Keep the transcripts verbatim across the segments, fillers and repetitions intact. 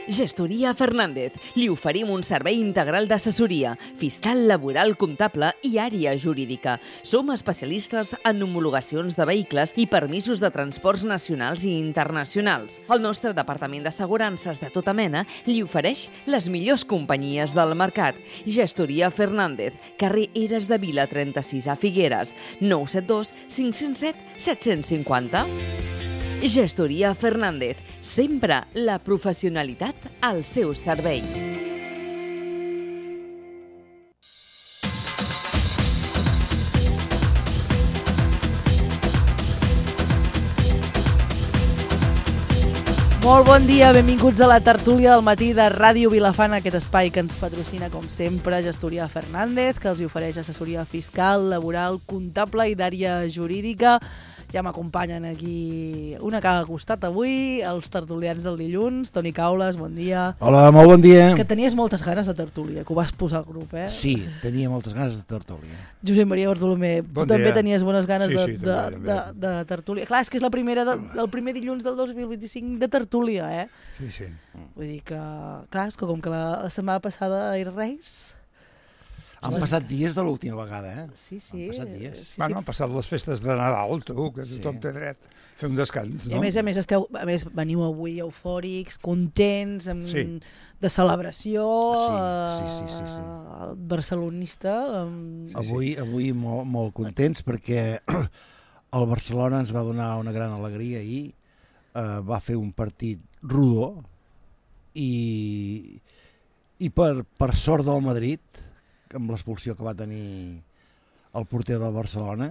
Gestoria Fernández. Li oferim un servei integral d'assessoria, fiscal, laboral, comptable i àrea jurídica. Som especialistes en homologacions de vehicles i permisos de transports nacionals i internacionals. El nostre departament d'assegurances de tota mena li ofereix les millors companyies del mercat. Gestoria Fernández, carrer Eres de Vila trenta-sis a Figueres, nou set dos cinc zero set set cinc zero. Gestoria Fernández, sempre la professionalitat al seu servei. Molt bon dia, benvinguts a la tertúlia del matí de Ràdio Vilafant, aquest espai que ens patrocina, com sempre, Gestoria Fernández, que els ofereix assessoria fiscal, laboral, comptable i d'àrea jurídica. Ja m'acompanyen aquí una que ha costat avui, els tertulians del dilluns. Toni Caules, bon dia. Hola, molt bon dia. Que tenies moltes ganes de tertúlia, que ho vas posar al grup, eh? Sí, tenia moltes ganes de tertúlia. Josep Maria Bartolomé, bon tu també dia. tenies bones ganes sí, de, sí, de, també, de, també. de tertúlia. Clar, és que és la primera de, el primer dilluns del dos mil vint-i-cinc de tertúlia, eh? Sí, sí. Vull dir que, clar, és que com que la, la setmana passada era Reis... Han passat dies de l'última vegada, eh? Sí, sí. Han passat dies. Sí, Bueno, sí. han passat les festes de Nadal, tu, que Sí. tothom té dret a fer un descans, I no? a més a més, esteu, a més veniu avui eufòrics, contents, amb, Sí. de celebració, Sí, sí, sí, sí, sí. eh, barcelonista. Amb... Sí, Avui, avui molt, molt contents perquè el Barcelona ens va donar una gran alegria ahir, eh, va fer un partit rodó i, i per, per sort del Madrid, amb l'expulsió que va tenir el porter del Barcelona,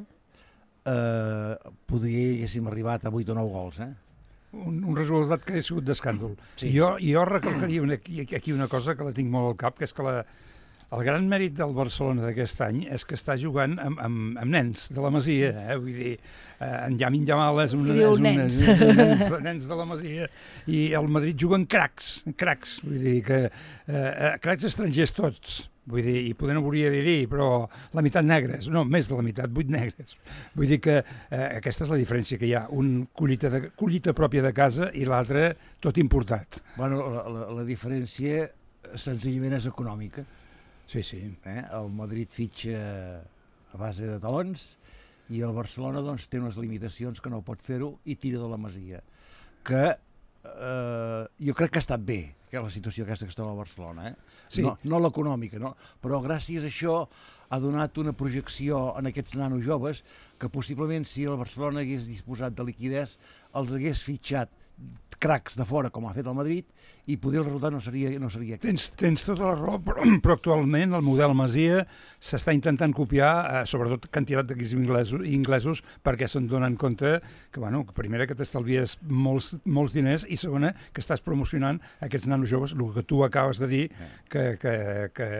eh, podria haguéssim arribat a vuit o nou gols, eh? Un, un resultat que ha sigut d'escàndol. Sí. Jo, jo recalcaria una, aquí, aquí una cosa que la tinc molt al cap, que és que la, el gran mèrit del Barcelona d'aquest any és que està jugant amb, amb, amb nens de la Masia, eh? Vull dir, eh, en Yamin Yamal és un, I diu és un, nens. és un nens, nens de la Masia, i el Madrid juga en cracs, cracs, vull dir que eh, cracs estrangers tots. Vull dir, i poder no volia dir-hi, però la meitat negres, no, més de la meitat, vuit negres. Vull dir que eh, aquesta és la diferència que hi ha, un collita, de, collita pròpia de casa i l'altre tot importat. Bueno, la, la, la diferència senzillament és econòmica. Sí, sí. Eh? El Madrid fitxa a base de talons i el Barcelona doncs, té unes limitacions que no pot fer-ho i tira de la Masia. Que eh, jo crec que ha estat bé, que la situació aquesta que està a Barcelona, eh? Sí. No, no l'econòmica, no? Però gràcies a això ha donat una projecció en aquests nanos joves que possiblement si el Barcelona hagués disposat de liquidez els hagués fitxat cracs de fora com ha fet el Madrid i poder el resultat no seria, no seria aquest. Tens, tens tota la raó, però, però actualment el model Masia s'està intentant copiar, eh, sobretot quantitat d'equips inglesos, inglesos perquè se'n donen compte que, bueno, que primera que t'estalvies molts, molts diners i segona que estàs promocionant aquests nanos joves, el que tu acabes de dir, que, que, que,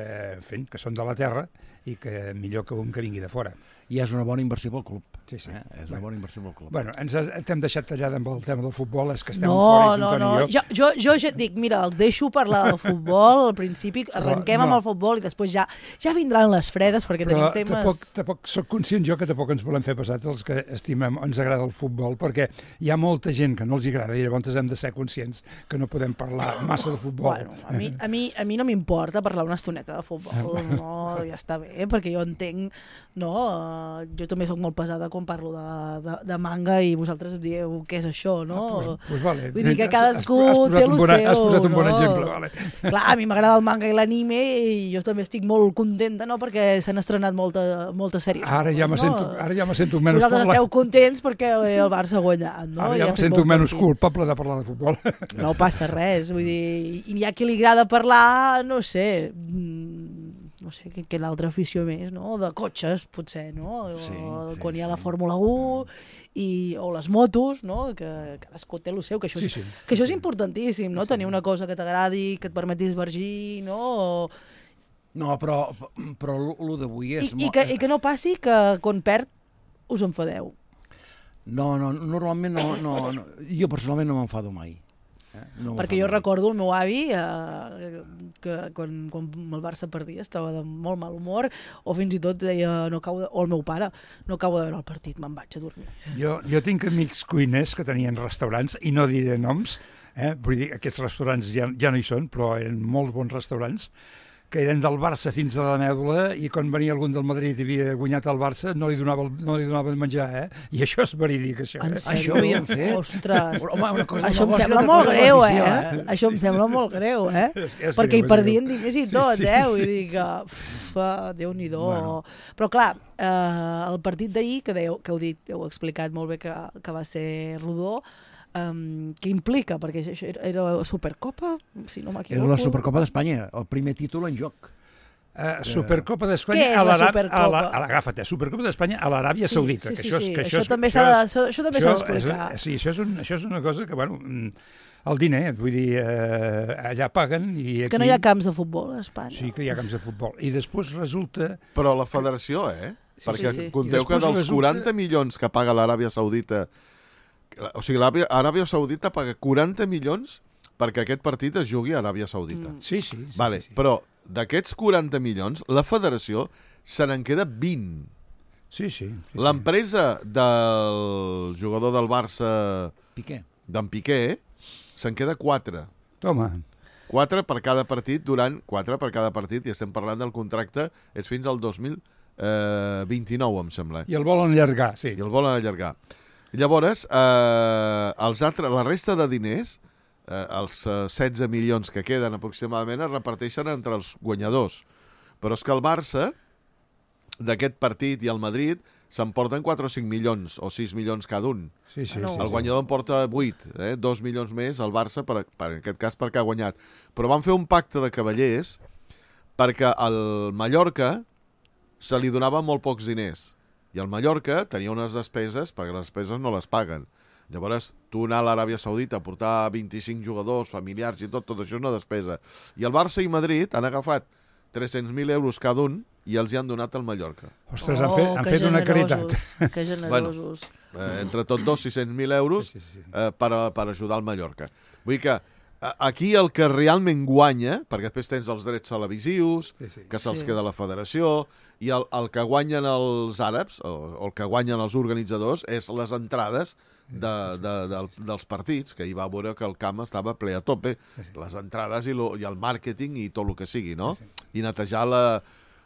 fent, que són de la terra i que millor que un que vingui de fora. I és una bona inversió pel club. Sí, sí. Eh? És una bona inversió pel club. Bueno, ens has, t'hem deixat tallada amb el tema del futbol, és que estem No, fora, no, Antoni no, i jo. jo, jo, jo ja et dic, mira, els deixo parlar del futbol al principi, arrenquem no. amb el futbol i després ja ja vindran les fredes perquè Però tenim temes... tampoc, tampoc soc conscient jo que tampoc ens volem fer passats els que estimem, ens agrada el futbol, perquè hi ha molta gent que no els agrada i llavors hem de ser conscients que no podem parlar massa de futbol. Bueno, a mi, a mi, a mi no m'importa parlar una estoneta de futbol, no, ja està bé, perquè jo entenc, no, uh, jo també sóc molt pesada quan parlo de, de, de manga i vosaltres dieu què és això, no? Ah, pues, pues vale. Vull dir que cadascú has, has té el bona, seu, has posat un bon no? exemple, vale. Clar, a mi m'agrada el manga i l'anime i jo també estic molt contenta, no?, perquè s'han estrenat molta, moltes sèries. Ara ja me no? sento, ara ja me sento menys Vosaltres parlar. esteu contents perquè el Barça ha guanyat, no? Ara I ja ha me fet sento bon menys partit. culpable de parlar de futbol. No passa res, vull dir, i hi ha qui li agrada parlar, no sé, no sé, que, que l'altra afició més, no?, de cotxes, potser, no?, Sí, o, sí, quan hi ha sí. la Fórmula u, i, o les motos, no?, que cadascú té el seu, que això és, Sí, sí. que això és importantíssim, no?, tenir una cosa que t'agradi, que et permeti esvergir, no?, o... No, però, però el d'avui és... I, i, que, i que no passi que quan perd us enfadeu. No, no, normalment no, no, no jo personalment no m'enfado mai. Eh? No Perquè jo recordo el meu avi eh, que quan, quan el Barça perdia estava de molt mal humor, o fins i tot deia, no acabo de, o el meu pare, no acabo de veure el partit, me'n vaig a dormir. Jo, jo tinc amics cuiners que tenien restaurants, i no diré noms, Eh? Vull dir, aquests restaurants ja, ja no hi són, però eren molt bons restaurants, que eren del Barça fins a la mèdula, i quan venia algun del Madrid i havia guanyat el Barça no li donava, no li donava menjar, eh? I això és verídic, això. En Eh? sèrio? Això ho havien fet? Ostres, Home, una cosa això em negoci, sembla altra molt cosa greu, l'afició, eh? Això em sembla molt greu, eh? És, és Perquè greu, hi és perdien greu. diners i Sí, tot, sí, eh? sí, Vull sí. dir que, uf, Déu-n'hi-do. Bueno. Però clar, eh, el partit d'ahir, que, dèieu, que heu dit, heu explicat molt bé que, que va ser rodó, Um, què implica? Perquè això era, era Supercopa, si no m'equivoco. Era la Supercopa d'Espanya, el primer títol en joc. Uh, Supercopa d'Espanya Què és a la l'Aràbia... Supercopa? Agafa't, eh? Supercopa d'Espanya a l'Aràbia Sí, Saudita. sí, que sí, això, és, sí. que Això això, és- també això s'ha de- és- això- això també s'ha d'explicar. és- Sí, això és, un, això és una cosa que, bueno, mm, el diner, vull dir, eh, allà paguen i És aquí... que no hi ha camps de futbol a Espanya. Sí que hi ha camps de futbol. I després resulta... Però la federació, eh? Sí, Perquè sí, sí. conteu I que després dels resulta- quaranta milions que paga l'Aràbia Saudita, o sigui, l'Aràbia Aràbia Saudita paga quaranta milions perquè aquest partit es jugui a Aràbia Saudita. Mm. Sí, sí. sí Vale, sí, sí. però d'aquests quaranta milions, la federació se n'en queda vint. Sí, sí. sí, sí. L'empresa del jugador del Barça, Piqué. d'en Piqué, se'n queda quatre. Toma. Quatre per cada partit durant... Quatre per cada partit, i estem parlant del contracte, és fins al dos mil vint-i-nou, em sembla. I el volen allargar, sí. I el volen allargar. Llavors, eh, els altres, la resta de diners, eh, els eh, setze milions que queden aproximadament, es reparteixen entre els guanyadors. Però és que el Barça, d'aquest partit, i el Madrid, s'emporten quatre o cinc milions, o sis milions cada un. Sí, sí, No. sí, El sí. guanyador en porta vuit, eh? dos milions més el Barça, per, per, en aquest cas perquè ha guanyat. Però van fer un pacte de cavallers perquè al Mallorca se li donava molt pocs diners. I el Mallorca tenia unes despeses, perquè les despeses no les paguen. Llavors, tu anar a l'Aràbia Saudita a portar vint-i-cinc jugadors, familiars i tot, tot això és una despesa. I el Barça i Madrid han agafat tres-cents mil euros cada un i els hi han donat al Mallorca. Ostres, han fet, han fet una caritat. Oh, que generosos. Eh, entre tots dos, sis-cents mil euros Sí, sí, sí. eh, per, a, per ajudar el Mallorca. Vull dir que a, aquí el que realment guanya, perquè després tens els drets televisius, Sí, sí. que se'ls Sí. queda la federació, i el, el que guanyen els àrabs, o, o el que guanyen els organitzadors, és les entrades de, de, de, dels partits, que hi va veure que el camp estava ple a tope, les entrades i, lo, i el màrqueting i tot el que sigui, no? I netejar la,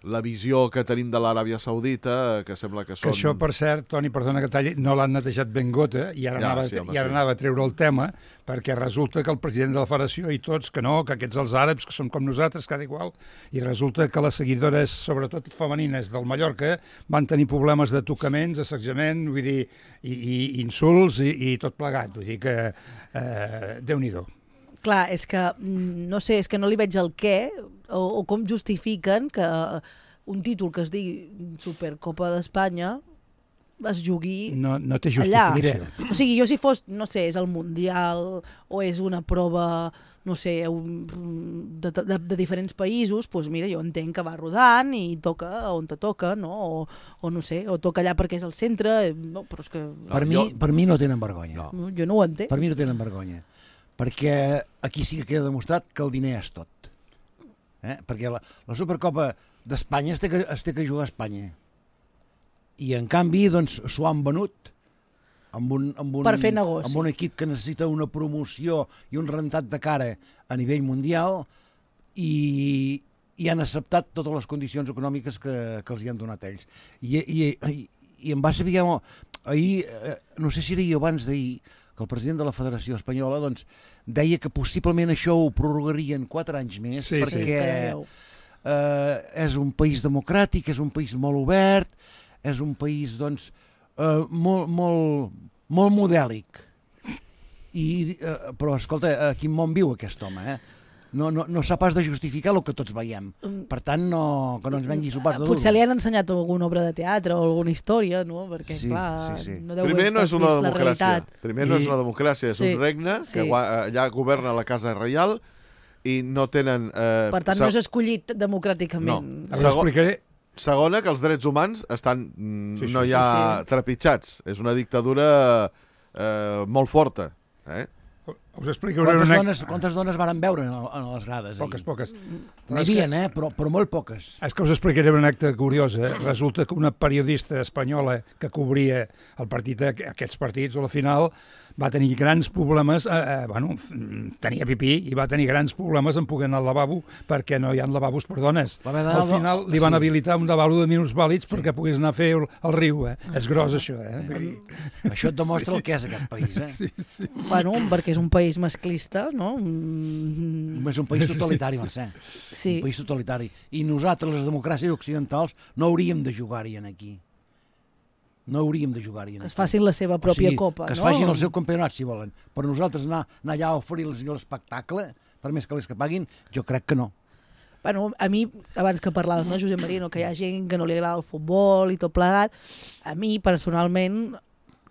la visió que tenim de l'Aràbia Saudita, que sembla que Que són... això, per cert, Toni, perdona que talli, no l'han netejat ben gota, i ara, Ja, anava, sí, home, i ara sí. anava a treure el tema, perquè resulta que el president de la federació i tots, que no, que aquests els àrabs, que són com nosaltres, cada igual, i resulta que les seguidores, sobretot femenines del Mallorca, van tenir problemes de tocaments, assetjament, vull dir, i, i insults i, i tot plegat. Vull dir que, eh, Déu-n'hi-do. Clar, és que, mm, no sé, és que no li veig el què, o, o com justifiquen que un títol que es digui Supercopa d'Espanya es jugui No, no té allà. justificació. O sigui, jo si fos, no sé, és el Mundial o és una prova, no sé, un- de, de, de diferents països, doncs mira, jo entenc que va rodant i toca on te toca, no? O, o no sé, o toca allà perquè és el centre, no, però és que Per, No, mi, jo- per mi no tenen vergonya. No. jo no ho entenc. Per mi no tenen vergonya. Perquè aquí sí que queda demostrat que el diner és tot. Eh? Perquè la, la Supercopa d'Espanya es té, que, es té que jugar a Espanya. I en canvi, doncs, s'ho han venut amb un, amb, un, Per fer negoci. amb un equip que necessita una promoció i un rentat de cara a nivell mundial i, i han acceptat totes les condicions econòmiques que, que els hi han donat ells. I, i, i, i em va saber molt... Ahir, eh, no sé si era ahir o abans d'ahir, que el president de la Federació Espanyola doncs, deia que possiblement això ho prorrogarien quatre anys més Sí, sí. perquè que ja veieu. eh, és un país democràtic, és un país molt obert, és un país doncs, eh, molt, molt, molt modèlic. I, eh, però, escolta, a quin món viu aquest home, eh? No, no, no sap pas de justificar el que tots veiem. Per tant, no, que no ens vengui sopars de Potser li duro. han ensenyat alguna obra de teatre o alguna història, no? Perquè, Sí, clar, sí, sí. no deu Primer haver no és una vist la democràcia. realitat. Primer no és I- una democràcia, és Sí, un regne que sí. gua- allà governa la Casa Reial i no tenen... Eh, Per tant, se- no és escollit democràticament. No. Ara us Segon- explicaré. Segona, que els drets humans estan mm, Sí, sí, no sí, hi ha sí. trepitjats. És una dictadura eh, molt forta. Eh? Us explicaré Quantes una... dones, quantes dones varen veure en, el- en les grades? Poques, ahir? poques. N'hi havia, eh? però, però molt poques. És que us explicaré una acte curiosa. Resulta que una periodista espanyola que cobria el partit, aquests partits, o la final, va tenir grans problemes, eh, eh, bueno, tenia pipí i va tenir grans problemes en poder anar al lavabo perquè no hi ha lavabos per dones. Al final li van habilitar un lavabo de minusvàlids perquè pogués anar a fer el, el riu, eh? És gros, això, eh? Això et demostra el que és aquest país, eh? Sí, sí. Bueno, perquè és un país masclista, no? És un país totalitari, Mercè. Sí. Un país totalitari. I nosaltres, les democràcies occidentals, no hauríem de jugar-hi aquí. No hauríem de jugar-hi. Es facin la seva pròpia o sigui, copa, que es no? facin el seu campionat, si volen. Però nosaltres anar, anar allà a oferir-los l'espectacle, per més que les que paguin, jo crec que no. Bueno, a mi, abans que parlaves, no, Josep Maria, no, que hi ha gent que no li agrada el futbol i tot plegat, a mi, personalment,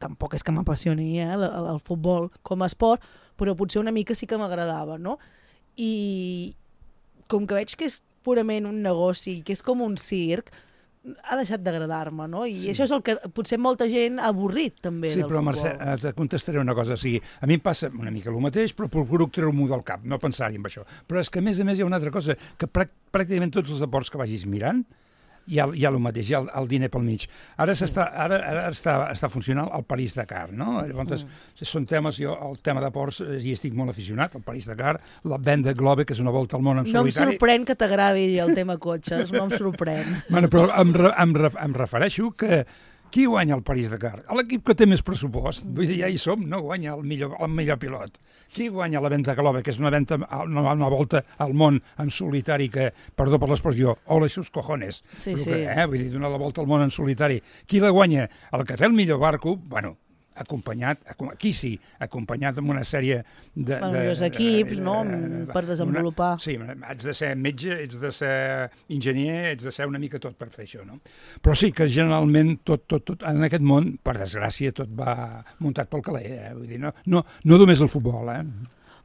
tampoc és que m'apassioni eh, el, el futbol com a esport, però potser una mica sí que m'agradava, no? I com que veig que és purament un negoci, que és com un circ, ha deixat d'agradar-me, no? I sí. Això és el que potser molta gent ha avorrit, també, sí, del però, futbol. Sí, però, Mercè, te contestaré una cosa. O sigui, a mi em passa una mica el mateix, però procuro treure-m'ho del cap, no pensar-hi en això. Però és que, a més a més, hi ha una altra cosa, que pràcticament tots els esports que vagis mirant, hi ha, hi ha el mateix, hi ha el, el diner pel mig. Ara, sí. ara, ara està, està funcionant el París-Dakar, no? Llavors, mm. són temes, jo el tema de ports hi estic molt aficionat, el París-Dakar, la Vendée Globe, que és una volta al món en no solitari. No em sorprèn que t'agradi el tema cotxes, no em sorprèn. Bueno, però em, em, em refereixo que qui guanya el París-Dakar? L'equip que té més pressupost. Vull dir, ja hi som, no guanya el millor, el millor pilot. Qui guanya la Vendée Globe, que és una, venta, una, una volta al món en solitari que, perdó per l'expressió, ole sus cojones. Sí, que, sí. Eh, vull dir, donar la volta al món en solitari. Qui la guanya? El que té el millor barco, bueno, acompanyat, aquí sí, acompanyat amb una sèrie de... Bueno, de, els equips, de, no?, de, per desenvolupar. Una, sí, ets de ser metge, ets de ser enginyer, ets de ser una mica tot per fer això, no? Però sí que generalment tot, tot, tot en aquest món, per desgràcia, tot va muntat pel caler, eh? Vull dir, no, no, no només el futbol, eh?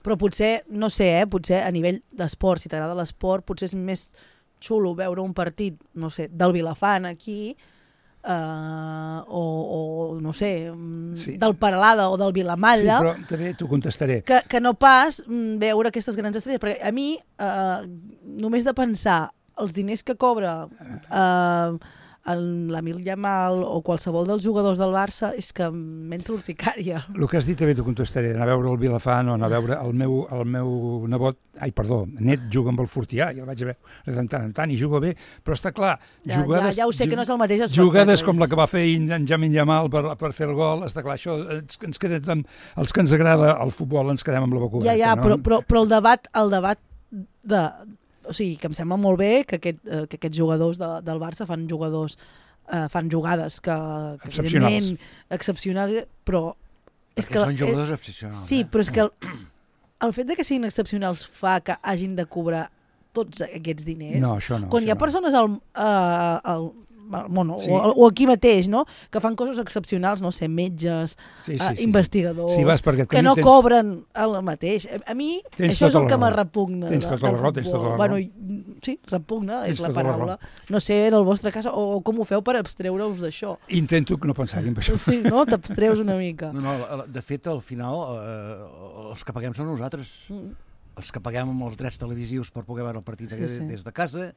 Però potser, no sé, eh? Potser a nivell d'esport, si t'agrada l'esport, potser és més xulo veure un partit, no sé, del Vilafant aquí, Uh, o, o no sé, sí. del Paralada o del Vilamalla, sí, però també t'ho contestaré, que, que no pas veure aquestes grans estrelles, perquè a mi uh, només de pensar els diners que cobra uh, l'Amil Yamal o qualsevol dels jugadors del Barça és que m'entra urticària. El que has dit també t'ho contestaré, d'anar a veure el Vilafant o anar a veure el meu, el meu nebot, ai, perdó, net juga amb el Fortià, i el vaig a veure de tant en tant, i juga bé, però està clar, ja, jugades, ja, ja ho sé que no és el mateix espectacle. Jugades com la que va fer en Jamin Yamal per, per fer el gol, està clar, això ens, ens quedem, els que ens agrada el futbol ens quedem amb la boca oberta. Ja, ja, no? però, però, però el debat, el debat de... O sigui, que em sembla molt bé que, aquest, que aquests jugadors de, del Barça fan jugadors eh, fan jugades que, que excepcionals. excepcionals, però és que són jugadors excepcionals. Sí, eh? però és que el, el fet de que siguin excepcionals fa que hagin de cobrar tots aquests diners. No, això no. Quan això hi ha persones al, uh, al bueno, sí. o, o aquí mateix, no?, que fan coses excepcionals, no sé, metges, sí, sí, uh, sí, investigadors, sí, vas que no tens... cobren el mateix. A, a mi tens això és el que me repugna. Tens tota la raó, tens tota la raó. Bueno, sí, repugna, tens és la paraula. La no sé, en el vostre cas, o, o com ho feu per abstreure-us d'això. Intento que no pensar-hi en això. Sí, no? T'abstreus una mica. No, no, de fet, al final, eh, els que paguem són nosaltres. Mm. Els que paguem amb els drets televisius per poder veure el partit sí, sí. des de casa,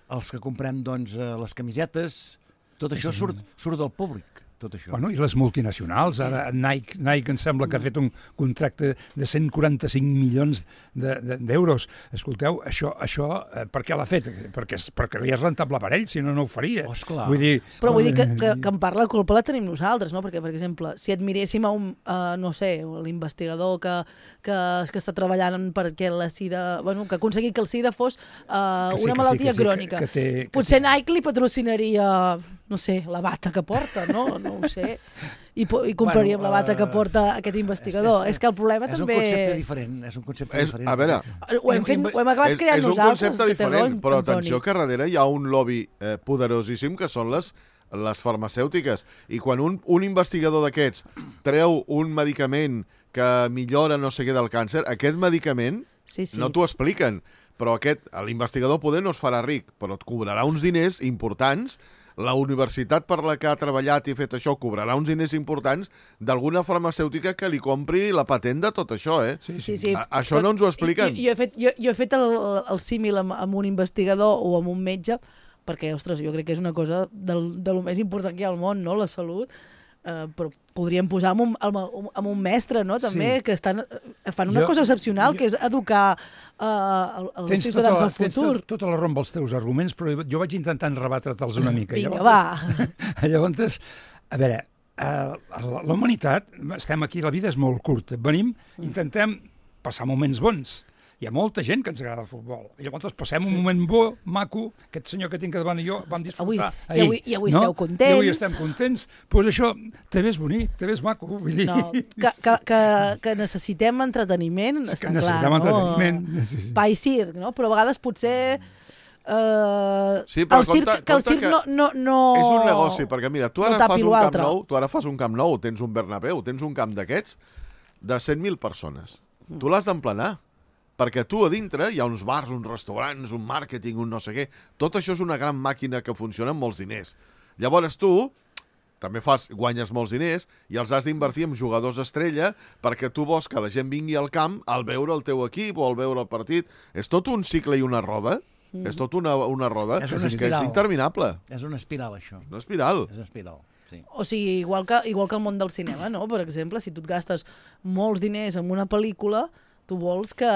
els que comprem doncs, les camisetes. Tot això surt, surt del públic, tot això. Bueno, i les multinacionals, ara Nike, Nike em sembla que ha fet un contracte de cent quaranta-cinc milions d'euros. Escolteu, això, això eh, per què l'ha fet? Perquè, perquè li és rentable per ell, si no, no ho faria. Oh, esclar. Vull dir, però vull dir que, que, que en part la culpa la tenim nosaltres, no? Perquè, per exemple, si admiréssim a un, uh, no sé, l'investigador que, que, que està treballant perquè la sida, bueno, que ha aconseguit que el sida fos uh, sí, una malaltia sí, crònica. Que, que té, que potser té... Nike li patrocinaria, no sé, la bata que porta, no? No ho sé. I, i compraríem bueno, uh, la bata que porta aquest investigador. És, és, és que el problema és també... És un concepte diferent. És un concepte és, diferent. A veure... Ho hem, fet, ho hem acabat és, creant és nosaltres. És un concepte diferent, però Antoni. atenció que darrere hi ha un lobby eh, poderosíssim que són les, les farmacèutiques. I quan un, un investigador d'aquests treu un medicament que millora no sé què del càncer, aquest medicament sí, sí. no t'ho expliquen. Però aquest, l'investigador poder no es farà ric, però et cobrarà uns diners importants. La universitat per la que ha treballat i fet això cobrarà uns diners importants d'alguna farmacèutica que li compri la patent de tot això, eh? Sí, sí. sí. A, això no ens ho expliquen. Jo, jo, he fet, jo, jo he fet el, el símil amb, amb un investigador o amb un metge, perquè, ostres, jo crec que és una cosa del, de lo més important que hi ha al món, no?, la salut. Uh, però podríem posar amb un, amb, amb un mestre, no? També, Sí. que estan, fan una Jo- cosa excepcional, jo- que és educar uh, els Tens ciutadans tota la, del futur. Tens tota la raó amb els teus arguments, però jo vaig intentant rebatre'ls una mica. Vinga, Llavors, va. Llavors, a veure, eh, la la humanitat, estem aquí, la vida és molt curta. Venim, intentem passar moments bons. Hi ha molta gent que ens agrada el futbol. I llavors passem un moment bo, maco, aquest senyor que tinc davant i jo vam disfrutar Avui- i ahir. avui- i avui no? esteu contents. I avui estem contents. Doncs pues això també és bonic, també és maco. Vull dir... No, que, que, que, que necessitem entreteniment, Sí, està que clar, necessitem no? entreteniment, sí, sí. Pa i circ, no? Però a vegades potser... Uh, Sí, però el circ, compte- que el compte circ que no, no, no... És un negoci, perquè mira, tu no ara tapi fas un camp l'altre. nou, tu ara fas un camp nou, tens un Bernabéu, tens un camp d'aquests de cent mil persones. Mm. Tu l'has d'emplenar, perquè tu a dintre hi ha uns bars, uns restaurants, un màrqueting, un no sé què. Tot això és una gran màquina que funciona amb molts diners. Llavors tu també fas, guanyes molts diners i els has d'invertir en jugadors estrella perquè tu vols que la gent vingui al camp al veure el teu equip o al veure el partit. És tot un cicle i una roda. Mm. És tot una, una roda És una que és espiral. interminable. És una espiral, això. Una espiral. És una espiral, sí. O sigui, igual que, igual que el món del cinema, no? Per exemple, si tu et gastes molts diners en una pel·lícula, tu vols que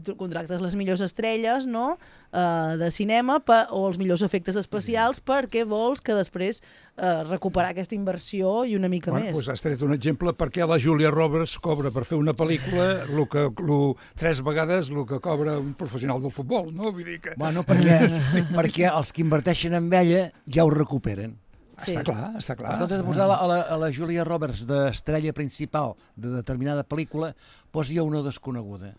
tu contractes les millors estrelles, no?, uh, de cinema pa, o els millors efectes especials perquè vols que després uh, recuperar aquesta inversió i una mica Bueno, més. doncs has tret un exemple perquè la Julia Roberts cobra per fer una pel·lícula lo que, lo, tres vegades el que cobra un professional del futbol, no? Vull dir que... Bueno, perquè, perquè els que inverteixen en ella ja ho recuperen. Sí. Està clar, està clar. En comptes de posar la, a, la, a la Julia Roberts d'estrella principal de determinada pel·lícula, posi una desconeguda.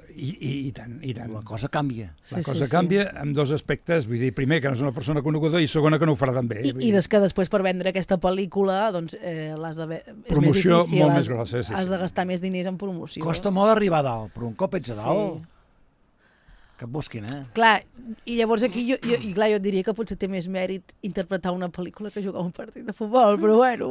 I, i, i tant, i tant. La cosa canvia. La Sí, cosa sí, sí. canvia en dos aspectes, vull dir, primer, que no és una persona coneguda, i segona, que no ho farà tan bé. I, Vull i dir, des que després per vendre aquesta pel·lícula doncs eh, l'has de... és Promoció més difícil, molt has, més grossa, sí, has sí. de gastar més diners en promoció. Costa molt arribar a dalt, però un cop ets a dalt, Sí. que et busquin, eh? Clar, i llavors aquí jo, jo, i clar, jo et diria que potser té més mèrit interpretar una pel·lícula que jugar un partit de futbol, però bueno,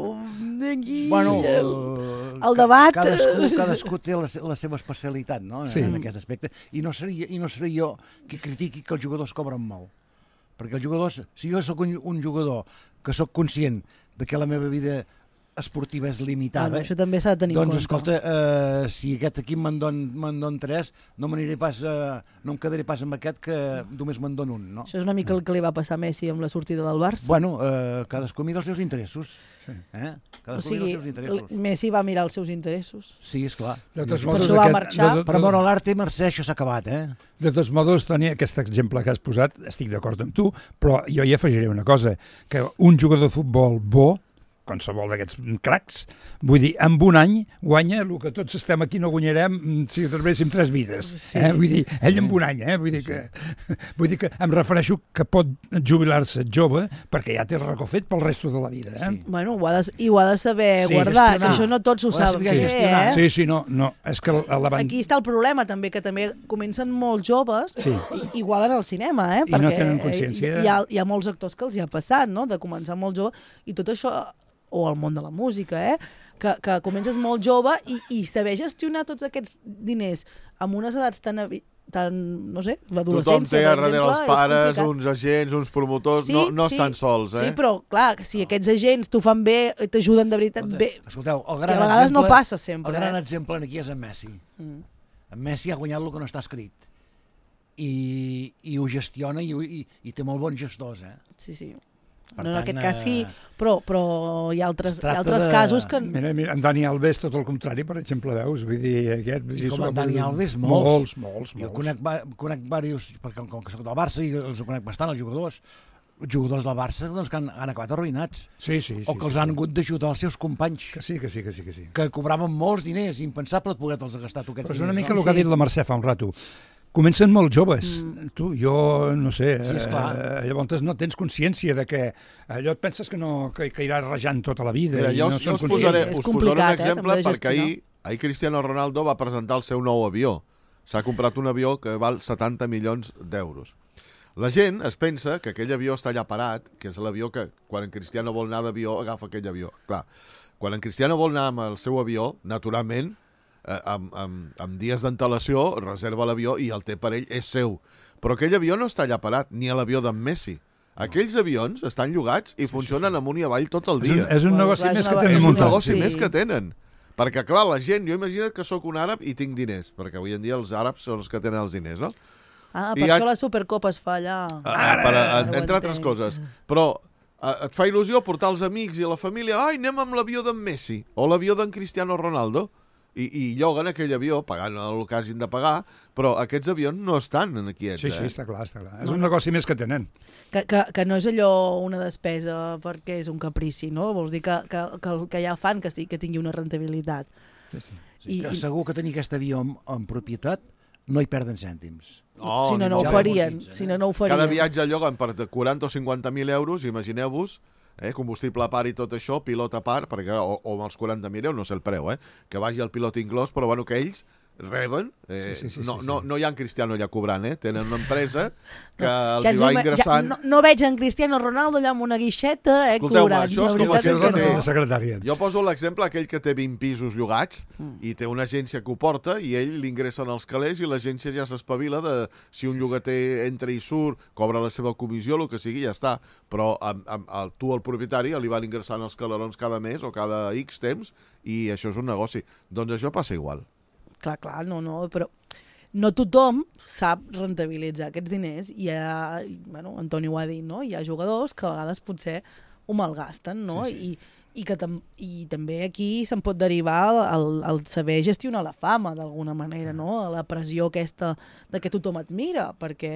aquí... Bueno, el, el, el debat... Cadascú, cadascú té la, se- la seva especialitat, no?, Sí. en aquest aspecte. I no seria, i no seré jo qui critiqui que els jugadors cobren molt. Perquè els jugadors, si jo sóc un, un jugador que sóc conscient de que la meva vida esportiva és limitada, Bueno, això també s'ha de tenir doncs, en compte. escolta, eh, si aquest equip me'n don, me'n don tres, no m'aniré pas, eh, no em quedaré pas amb aquest que només me'n don un, no? Això és una mica el que li va passar a Messi amb la sortida del Barça. Bueno, eh, cadascú mira els seus interessos. Sí. Eh? o Cadascú sigui, mira els seus interessos. Messi va mirar els seus interessos. Sí, esclar. De totes Per modos, això va aquest- marxar. de- de- Per amor a l'arte, Mercè, això s'ha acabat, eh? De tots modos, Toni, aquest exemple que has posat, estic d'acord amb tu, però jo hi afegiré una cosa, que un jugador de futbol bo, qualsevol d'aquests cracs, vull dir, en un any guanya el que tots estem aquí no guanyarem si trebéssim tres vides. Sí. Eh? Vull dir, ell en un any, eh? Vull dir que, vull dir que em refereixo que pot jubilar-se jove perquè ja té el racó fet pel resto de la vida. Eh? Sí. Bueno, ho ha de, i ho ha de saber Sí, guardar, gestionar. que això no tots ho Ho ha de saben saber fer, gestionar. eh? Sí, sí, no, no, és que a la banda... Aquí està el problema també, que també comencen molt joves, Sí. i, igual en el cinema, eh? I no tenen consciència. hi, hi, ha, hi ha molts actors que els hi ha passat, no?, de començar molt jove, i tot això, o el món de la música, eh?, que, que comences molt jove i, i saber gestionar tots aquests diners amb unes edats tan, avi- tan no sé, Tothom l'adolescència, té per a darrere exemple, els és pares, complicat. uns agents, uns promotors, Sí, no, no sí, estan sols, eh? Sí, però, clar, que si aquests agents t'ho fan bé, t'ajuden de veritat bé, Escolteu, el que gran a vegades exemple, no passa sempre. El gran eh? exemple aquí és en Messi. Mm. En Messi ha guanyat el que no està escrit. I, i ho gestiona i, ho- i, i té molt bons gestors, eh? Sí, sí. Per No, en tant, aquest cas sí, eh, però, però hi ha altres, es hi ha tracta altres de- casos que... Mira, mira, en Dani Alves tot el contrari, per exemple, veus? Vull dir, aquest... vull I dir, com en sobretot- Dani Alves, molts. Molts, molts, Jo molts. conec, va- conec diversos, perquè com que soc del Barça i els conec bastant, els jugadors, jugadors del Barça doncs, que han, han acabat arruïnats, Sí, sí, sí. o que els sí, han sí. hagut d'ajudar els seus companys, Que sí, que sí, que sí, que sí. que cobraven molts diners, impensable poder-te'ls gastar tu aquests Però és una diners. mica no? el que ha dit la Mercè fa un rato. Comencen molt joves. Mm. Tu, jo, no sé, Sí, esclar. eh, llavors no tens consciència de que allò et penses que, no, que, que iràs rajant tota la vida. Mira, i jo, no us, jo són us, conscients. posaré, És us posaré un complicat, eh, exemple també de perquè gestionar. ahir, ahir Cristiano Ronaldo va presentar el seu nou avió. S'ha comprat un avió que val setanta milions d'euros. La gent es pensa que aquell avió està allà parat, que és l'avió que quan en Cristiano vol anar d'avió agafa aquell avió. Clar, quan en Cristiano vol anar amb el seu avió, naturalment, eh, amb, amb, amb dies d'antelació, reserva l'avió i el té per ell, és seu. Però aquell avió no està allà parat, ni a l'avió d'en Messi. Aquells avions estan llogats i funcionen amunt i avall tot el És un, dia. és un Bueno, negoci clar, és més una- que És tenen un muntat. negoci Sí. més que tenen. Perquè, clar, la gent, jo imagina't que sóc un àrab i tinc diners, perquè avui en dia els àrabs són els que tenen els diners, no? Ah, I per ja- això la Supercopa es fa allà. Ah, per, a, Ara ho entre altres entenc. coses. Però a, et fa il·lusió portar els amics i la família, ai, anem amb l'avió d'en Messi o l'avió d'en Cristiano Ronaldo, i, i lloguen aquell avió pagant el que hagin de pagar, però aquests avions no estan aquí. Sí, sí, eh? està clar, està clar. És un negoci més que tenen. Que, que, que no és allò una despesa perquè és un caprici, no? Vols dir que, que, que el que ja fan que sí que tingui una rentabilitat. Sí, sí. Sí, I- que i- segur que tenir aquest avió en, en propietat no hi perden cèntims. Oh, si no, ni no ho ja farien. l'amortitzen, Si eh? no, no ho farien. Cada viatge lloguen per de quaranta o cinquanta mil euros, imagineu-vos, eh, combustible a part i tot això, pilot a part, perquè, o, o amb els quaranta mil euros, no sé el preu, eh, que vagi el pilot inclòs, però bueno, que ells reben, eh, Sí, sí, sí, no, sí, sí. no, no hi ha en Cristiano allà cobrant, eh? Tenen una empresa que els Ja hi ens va ho ima- ingressant. Ja, no, no veig en Cristiano Ronaldo allà amb una guixeta, eh, Escolteu-me, cobrant. això és La com veritat si és el que que té- no. de secretària. Jo poso l'exemple aquell que té vint pisos llogats i té una agència que ho porta i ell l'ingressen als calés i l'agència ja s'espavila de si un llogater entra i surt, cobra la seva comissió, el que sigui, ja està. Però amb, amb, el, tu, el propietari, li van ingressant els calerons cada mes o cada X temps i això és un negoci. Doncs això passa igual. Clar, clar, no, no, però no tothom sap rentabilitzar aquests diners i hi ha, bueno, Antoni ho ha dit, no? Hi ha jugadors que a vegades potser ho malgasten, no? Sí, sí. I, i, que tam i també aquí se'n pot derivar el, el saber gestionar la fama d'alguna manera, no? La pressió aquesta de que tothom et mira, perquè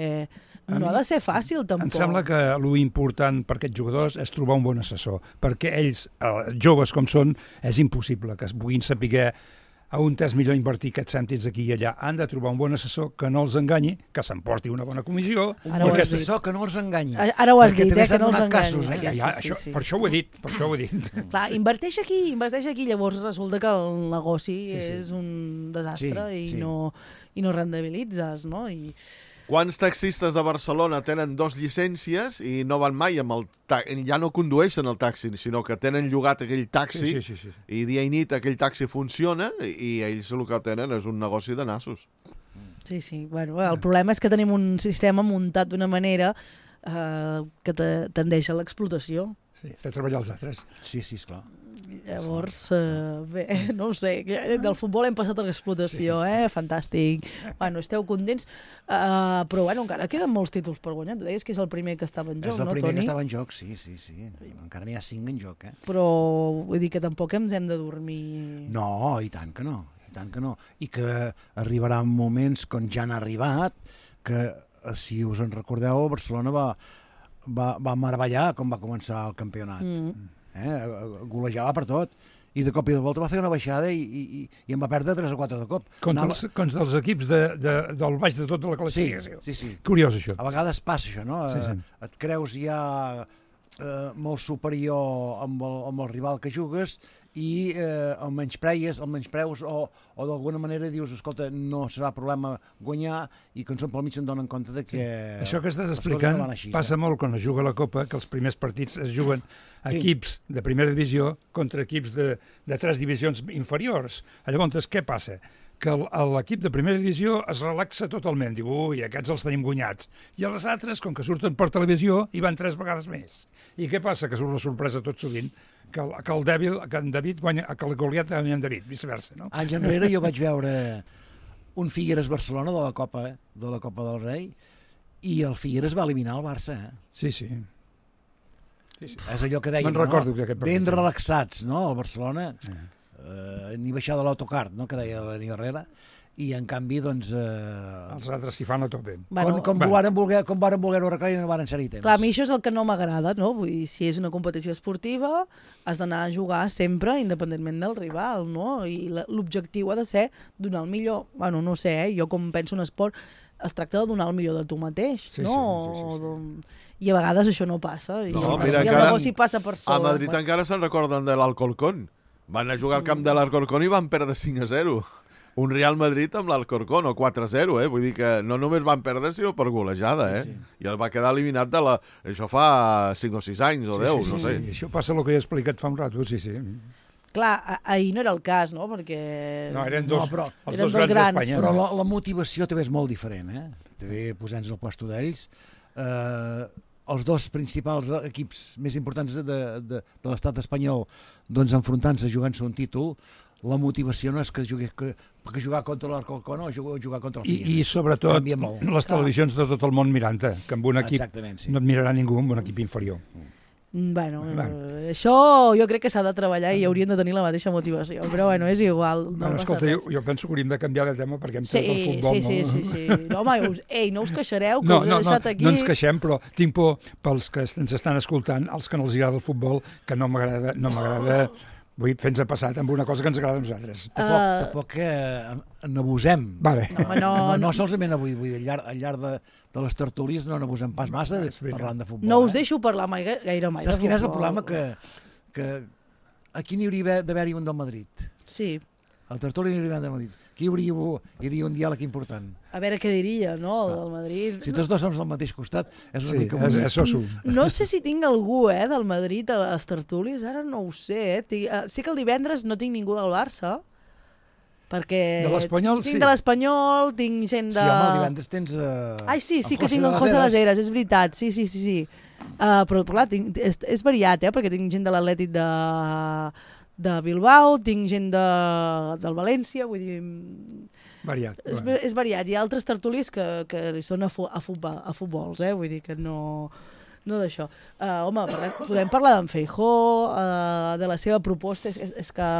A no mi ha de ser fàcil tampoc. Em sembla que lo important per aquests jugadors és trobar un bon assessor, perquè ells, eh, joves com són, és impossible que es puguin saber a on és millor invertir aquests cèntims aquí i allà. Han de trobar un bon assessor que no els enganyi, que s'emporti una bona comissió. Un Ara ho bon has dit. assessor que no els enganyi. Ara ho has Perquè dit, també eh, que s'han no els donat enganyi. casos, eh? Sí, Ja, ja, sí, això, sí. Per això ho he dit, per això ho he dit. Clar, inverteix aquí, inverteix aquí, llavors resulta que el negoci Sí, sí. és un desastre Sí, i, sí. no, i no rendibilitzes, no? I, Quants taxistes de Barcelona tenen dos llicències i no van mai amb el taxi, ja no condueixen el taxi, sinó que tenen llogat aquell taxi Sí, sí, sí, sí. i dia i nit aquell taxi funciona i ells el que tenen és un negoci de nassos. sí, sí. Bueno, el problema és que tenim un sistema muntat d'una manera eh, que te, tendeix a l'explotació. Sí, fer treballar els altres. Sí, sí, esclar. Llavors, eh, bé, no ho sé, que del futbol hem passat a l'explotació, eh? Fantàstic. Bueno, esteu contents, uh, però bueno, encara queden molts títols per guanyar. Tu deies que és el primer que estava en joc, És el no, primer Toni? que estava en joc, sí, sí, sí. Encara n'hi ha cinc en joc, eh? Però vull dir que tampoc ens hem de dormir... No, i tant que no, i tant que no. I que arribaran moments, com ja han arribat, que, eh, si us en recordeu, el Barcelona va, va, va meravellar com va començar el campionat. Mm. Eh? Golejava per tot. I de cop i de volta va fer una baixada i, i, i, i en va perdre tres o quatre de cop. Contra, Anava- els, contra els equips de, de, del baix de tota la Sí, classificació. sí, sí. Curiós, això. A vegades passa això, no? Sí, sí. Eh, Et creus ja eh, molt superior amb el, amb el rival que jugues i eh, el menyspreus, el menyspreus o, o d'alguna manera dius, escolta, no serà problema guanyar i que en són pel mig se'n donen compte de que... Això que estàs les coses explicant no van així, passa eh? molt quan es juga a la Copa, que els primers partits es juguen Sí. equips de primera divisió contra equips de, de tres divisions inferiors. Llavors, què passa? Que el- l'equip de primera divisió es relaxa totalment, diu, ui, aquests els tenim guanyats. I els altres, com que surten per televisió, hi van tres vegades més. I què passa? Que surt la sorpresa tot sovint, que el, que el dèbil, que en David guanya, que el Goliat guanya en David, viceversa, no? Anys enrere jo vaig veure un Figueres-Barcelona de la Copa, eh? de la Copa del Rei, i el Figueres va eliminar el Barça, eh? Sí, sí. sí, sí. És allò que deien, Me'n recordo no? d'aquest partit, Ben sí. relaxats, no?, el Barcelona, Eh. eh, ni baixar de l'autocar, no?, que deia l'Eni Herrera, i en canvi, doncs... Eh, Els altres s'hi fan a tope. com, com, bueno. varen voler, com varen voler-ho arreglar i no varen ser-hi temps. Clar, a mi això és el que no m'agrada, no? Vull dir, si és una competició esportiva, has d'anar a jugar sempre, independentment del rival, no? I la- l'objectiu ha de ser donar el millor. Bueno, no sé, eh? Jo com penso en esport, es tracta de donar el millor de tu mateix, Sí, no? sí, sí, sí, sí. Doncs- I a vegades això no passa. I, No, i mira, el encara- negoci passa per A sobre. Madrid encara se'n recorden de l'Alcorcón. Van a jugar al camp de l'Alcorcón i van perdre cinc a zero. Un Real Madrid amb l'Alcorcón, o quatre a zero, eh? Vull dir que no només van perdre, sinó per golejada, eh? Sí, sí. I el va quedar eliminat de la... Això fa cinc o sis anys, o deu, sí, sí, no sé. Sí, això passa el que he explicat fa un rato, sí, sí. Clar, a- ahir no era el cas, no? Perquè... No, eren No, dos, però- els eren dos dos grans grans. d'Espanya. Però no? la, la motivació també és molt diferent, eh? També posant-nos al puesto d'ells. Eh, els dos principals equips més importants de, de, de l'estat espanyol doncs enfrontant-se, jugant-se un títol, la motivació no és que jugui que, que jugar contra l'Alcorcón o jugar, jugar contra el Figueres. I, i sobretot molt. les televisions de tot el món mirant-te, que amb un equip sí. no et mirarà ningú amb un equip inferior. Bueno, bueno. Eh, això jo crec que s'ha de treballar i haurien de tenir la mateixa motivació, però bueno, és igual. No bueno, escolta, jo, jo penso que hauríem de canviar de tema perquè hem sí, tret el futbol. Sí, sí, no? sí, sí. No, home, us, ei, no us queixareu que no, us he no, deixat no, aquí... No ens queixem, però tinc por pels que ens estan escoltant, els que no els agrada el futbol, que no m'agrada... No m'agrada vull fer-nos passat amb una cosa que ens agrada a nosaltres. Tampoc, uh... tampoc eh, n'abusem. Vale. No, no, no, no, no solament avui, vull dir, al llarg, al llarg de, de les tertúlies no n'abusem pas massa de, parlant de futbol. No us eh? deixo parlar mai, gaire mai. Saps quin és el problema? Que, que aquí n'hi hauria d'haver-hi un del Madrid. Sí. El tertuli n'hi hauria d'haver del Madrid. Aquí hi hauria, hi hauria un diàleg important. A veure què diria, no, el del Madrid. Si tots dos som del mateix costat, és una sí, mica és, bonic. és soso. No sé si tinc algú eh, del Madrid a les tertúlies, ara no ho sé. Eh? Tinc, uh, sé que el divendres no tinc ningú del Barça, perquè... De l'Espanyol, tinc sí. de l'Espanyol, tinc gent de... Sí, home, el divendres tens... Uh, Ai, sí, sí que tinc el José Las Heras, és veritat, sí, sí, sí, sí. Uh, però, clar, tinc, és, és variat, eh, perquè tinc gent de l'Atlètic de, de Bilbao, tinc gent de, del València, vull dir... Variat. És, Bueno. és variat. Hi ha altres tertulis que, que li són a, fu, a, futbol, a futbols, eh? Vull dir que no, no d'això. Uh, home, parlem, podem parlar d'en Feijóo, uh, de la seva proposta. És, és, és que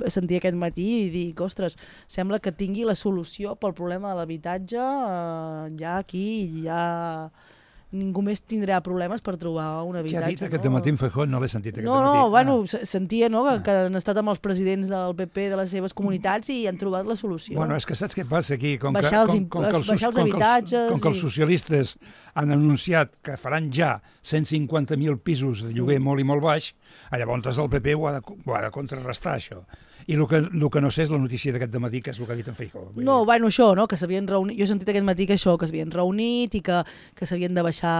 sentia aquest matí i dic, ostres, sembla que tingui la solució pel problema de l'habitatge uh, ja aquí, ja... ningú més tindrà problemes per trobar un habitatge. Què ha dit no? aquest matí en Feijóo? No l'he sentit aquest no, matí. No, bueno, ah. sentia no, que, que han estat amb els presidents del P P de les seves comunitats i han trobat la solució. Bueno, és que saps què passa aquí? Com baixar que, els, com, com que els, baixar els com habitatges... Que els, com que els socialistes han anunciat que faran ja cent cinquanta mil pisos de lloguer molt i molt baix, llavors el P P ho ha de, ho ha de contrarrestar, això. I el que, el que no sé és la notícia d'aquest dematí, que és el que ha dit en Feijóo. No, bueno, això, no? Que s'havien reunit... Jo he sentit aquest matí que això, que s'havien reunit i que, que s'havien de baixar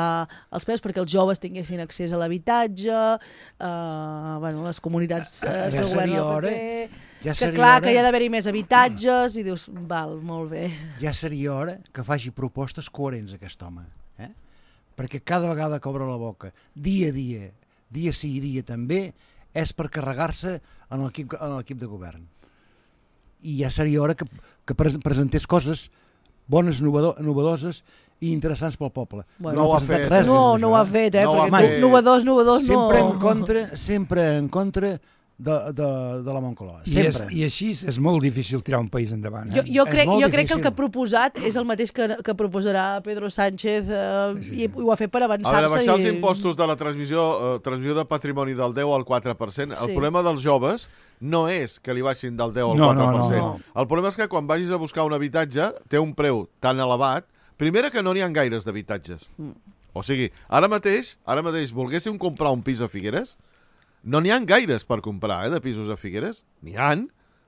els preus perquè els joves tinguessin accés a l'habitatge, uh, bueno, les comunitats uh, que ja governa el hora, P P... ja que clar, hora, que hi ha d'haver-hi més habitatges i dius, val, molt bé. Ja seria hora que faci propostes coherents aquest home, eh? Perquè cada vegada que obre la boca, dia a dia, dia sí i dia també, és per carregar-se en l'equip en l'equip de govern. I ja seria hora que, que presentés coses bones, novedoses i interessants pel poble. Bueno, no ho ha presentat fet. res, No, doncs, no ho ha fet, eh? No ho ha perquè fet. novedós, novedós, no... sempre en contra, sempre en contra de, de, de la Moncloa. I, és, Sempre. I així és molt difícil tirar un país endavant. Eh? Jo, jo, És crec, molt jo crec que el difícil. que ha proposat és el mateix que, que proposarà Pedro Sánchez eh, Sí, sí, i sí. ho ha fet per A avançar-se. veure, baixar i... els impostos de la transmissió, eh, transmissió de patrimoni del deu al quatre per cent. El Sí. problema dels joves no és que li baixin del deu al No, quatre per no, cent. no, no. El problema és que quan vagis a buscar un habitatge té un preu tan elevat. Primera, que no n'hi ha gaires d'habitatges. Mm. O sigui, ara mateix, ara mateix volguéssim comprar un pis a Figueres, no n'hi ha gaires per comprar, eh, de pisos a Figueres. N'hi han,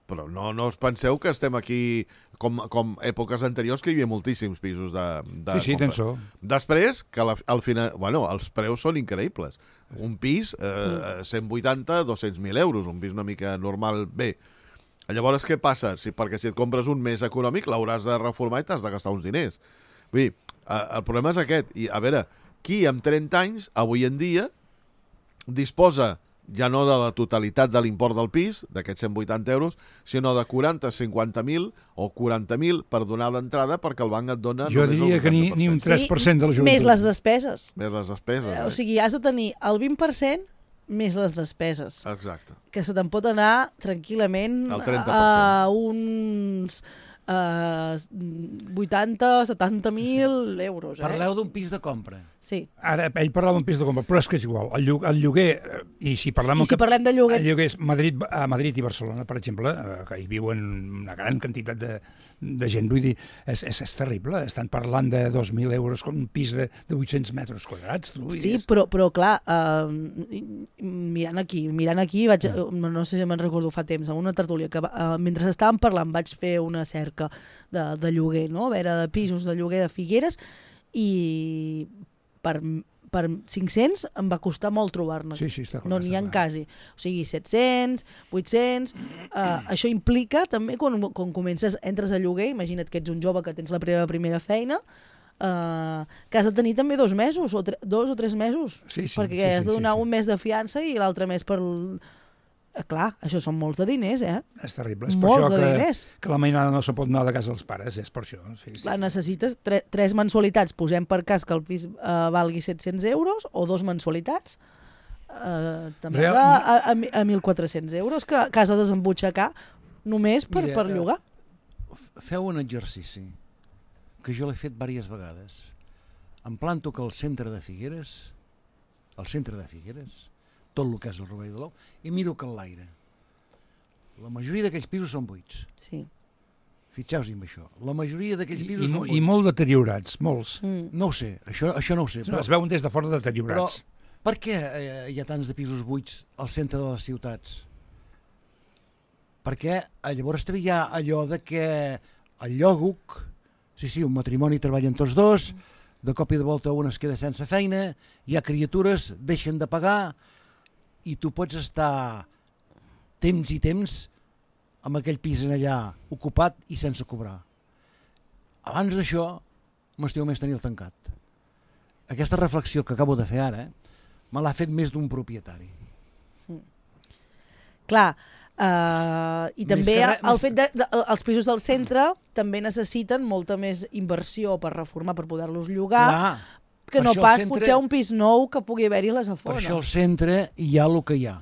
però no, no us penseu que estem aquí com, com èpoques anteriors, que hi havia moltíssims pisos de, de Sí, sí, compra. tens raó. Després, que la, al final, bueno, els preus són increïbles. Un pis, eh, cent vuitanta, dos-cents mil euros, un pis una mica normal, bé. Llavors, què passa? Si, perquè si et compres un més econòmic, l'hauràs de reformar i t'has de gastar uns diners. Vull dir, eh, el problema és aquest. I, a veure, qui amb trenta anys, avui en dia, disposa ja no de la totalitat de l'import del pis, d'aquests cent vuitanta euros, sinó de quaranta, cinquanta mil o quaranta mil per donar l'entrada perquè el banc et dona... Jo només el diria que ni, ni un vuitanta per cent. tres per cent de la joventut. Més les despeses. Més les despeses. Eh, o Eh? sigui, has de tenir el vint per cent més les despeses. Exacte. Que se te'n pot anar tranquil·lament El trenta per cent. a uns uh, vuitanta, setanta mil euros. Eh? Parleu d'un pis de compra. Sí. Ara, ell parlava d'un pis de compra, però és que és igual. El, lloguer, el lloguer, eh, i si parlem... I si parlem de lloguer... El lloguer és Madrid, a Madrid i Barcelona, per exemple, eh, que hi viuen una gran quantitat de, de gent, vull dir, és, és, és terrible. Estan parlant de dos mil euros com un pis de, de vuit-cents metres quadrats. Tu, Sí, però, però clar, uh, mirant aquí, mirant aquí, vaig, no sé si me'n recordo fa temps, en una tertúlia, que uh, mentre estàvem parlant vaig fer una cerca de, de lloguer, no? A veure, de pisos de lloguer de Figueres, i per, per cinc-cents em va costar molt trobar-ne. Sí, sí, està clar. No n'hi ha està clar. quasi. O sigui, set-cents, vuit-cents... Uh, això implica també, quan, quan comences, entres a lloguer, imagina't que ets un jove que tens la teva primera feina, Uh, que has de tenir també dos mesos, o tre dos o tres mesos, sí, sí, perquè sí, has sí, de donar sí, sí. un mes de fiança i l'altre mes per... Eh, clar, això són molts de diners, eh? És terrible. És per Molts això de que, diners. que la mainada no se pot anar de casa dels pares, és per això. Sí, sí. Clar, necessites tre tres mensualitats, posem per cas que el pis uh, valgui set-cents euros, o dos mensualitats, uh, també Real... a, a, a, a mil quatre-cents euros que, que has de desembutxacar només per, Mira, per llogar. Feu un exercici que jo l'he fet diverses vegades. Em planto que al centre de Figueres, al centre de Figueres, tot el que és el Rovell de l'Ou, i miro que l'aire. La majoria d'aquells pisos són buits. Sí. Fixeu-vos en això. La majoria d'aquells I, pisos i, són buits. I molt deteriorats, molts. Mm. No ho sé, això, això no ho sé. Però... Es veuen des de fora deteriorats. Però per què eh, hi ha tants de pisos buits al centre de les ciutats? Perquè eh, llavors també hi ha allò de que el llòguc, sí, sí, un matrimoni treballen tots dos, de cop i de volta un es queda sense feina, hi ha criatures, deixen de pagar, i tu pots estar temps i temps amb aquell pis en allà ocupat i sense cobrar. Abans d'això m'estiu més tenir-lo tancat. Aquesta reflexió que acabo de fer ara me l'ha fet més d'un propietari. Clar, uh, i Més també que res- el més- fet de, de, els pisos del centre també necessiten molta més inversió per reformar, per poder-los llogar, Clar, que per no això el pas centre- potser un pis nou que pugui haver-hi a les per afores. això al centre hi ha el que hi ha.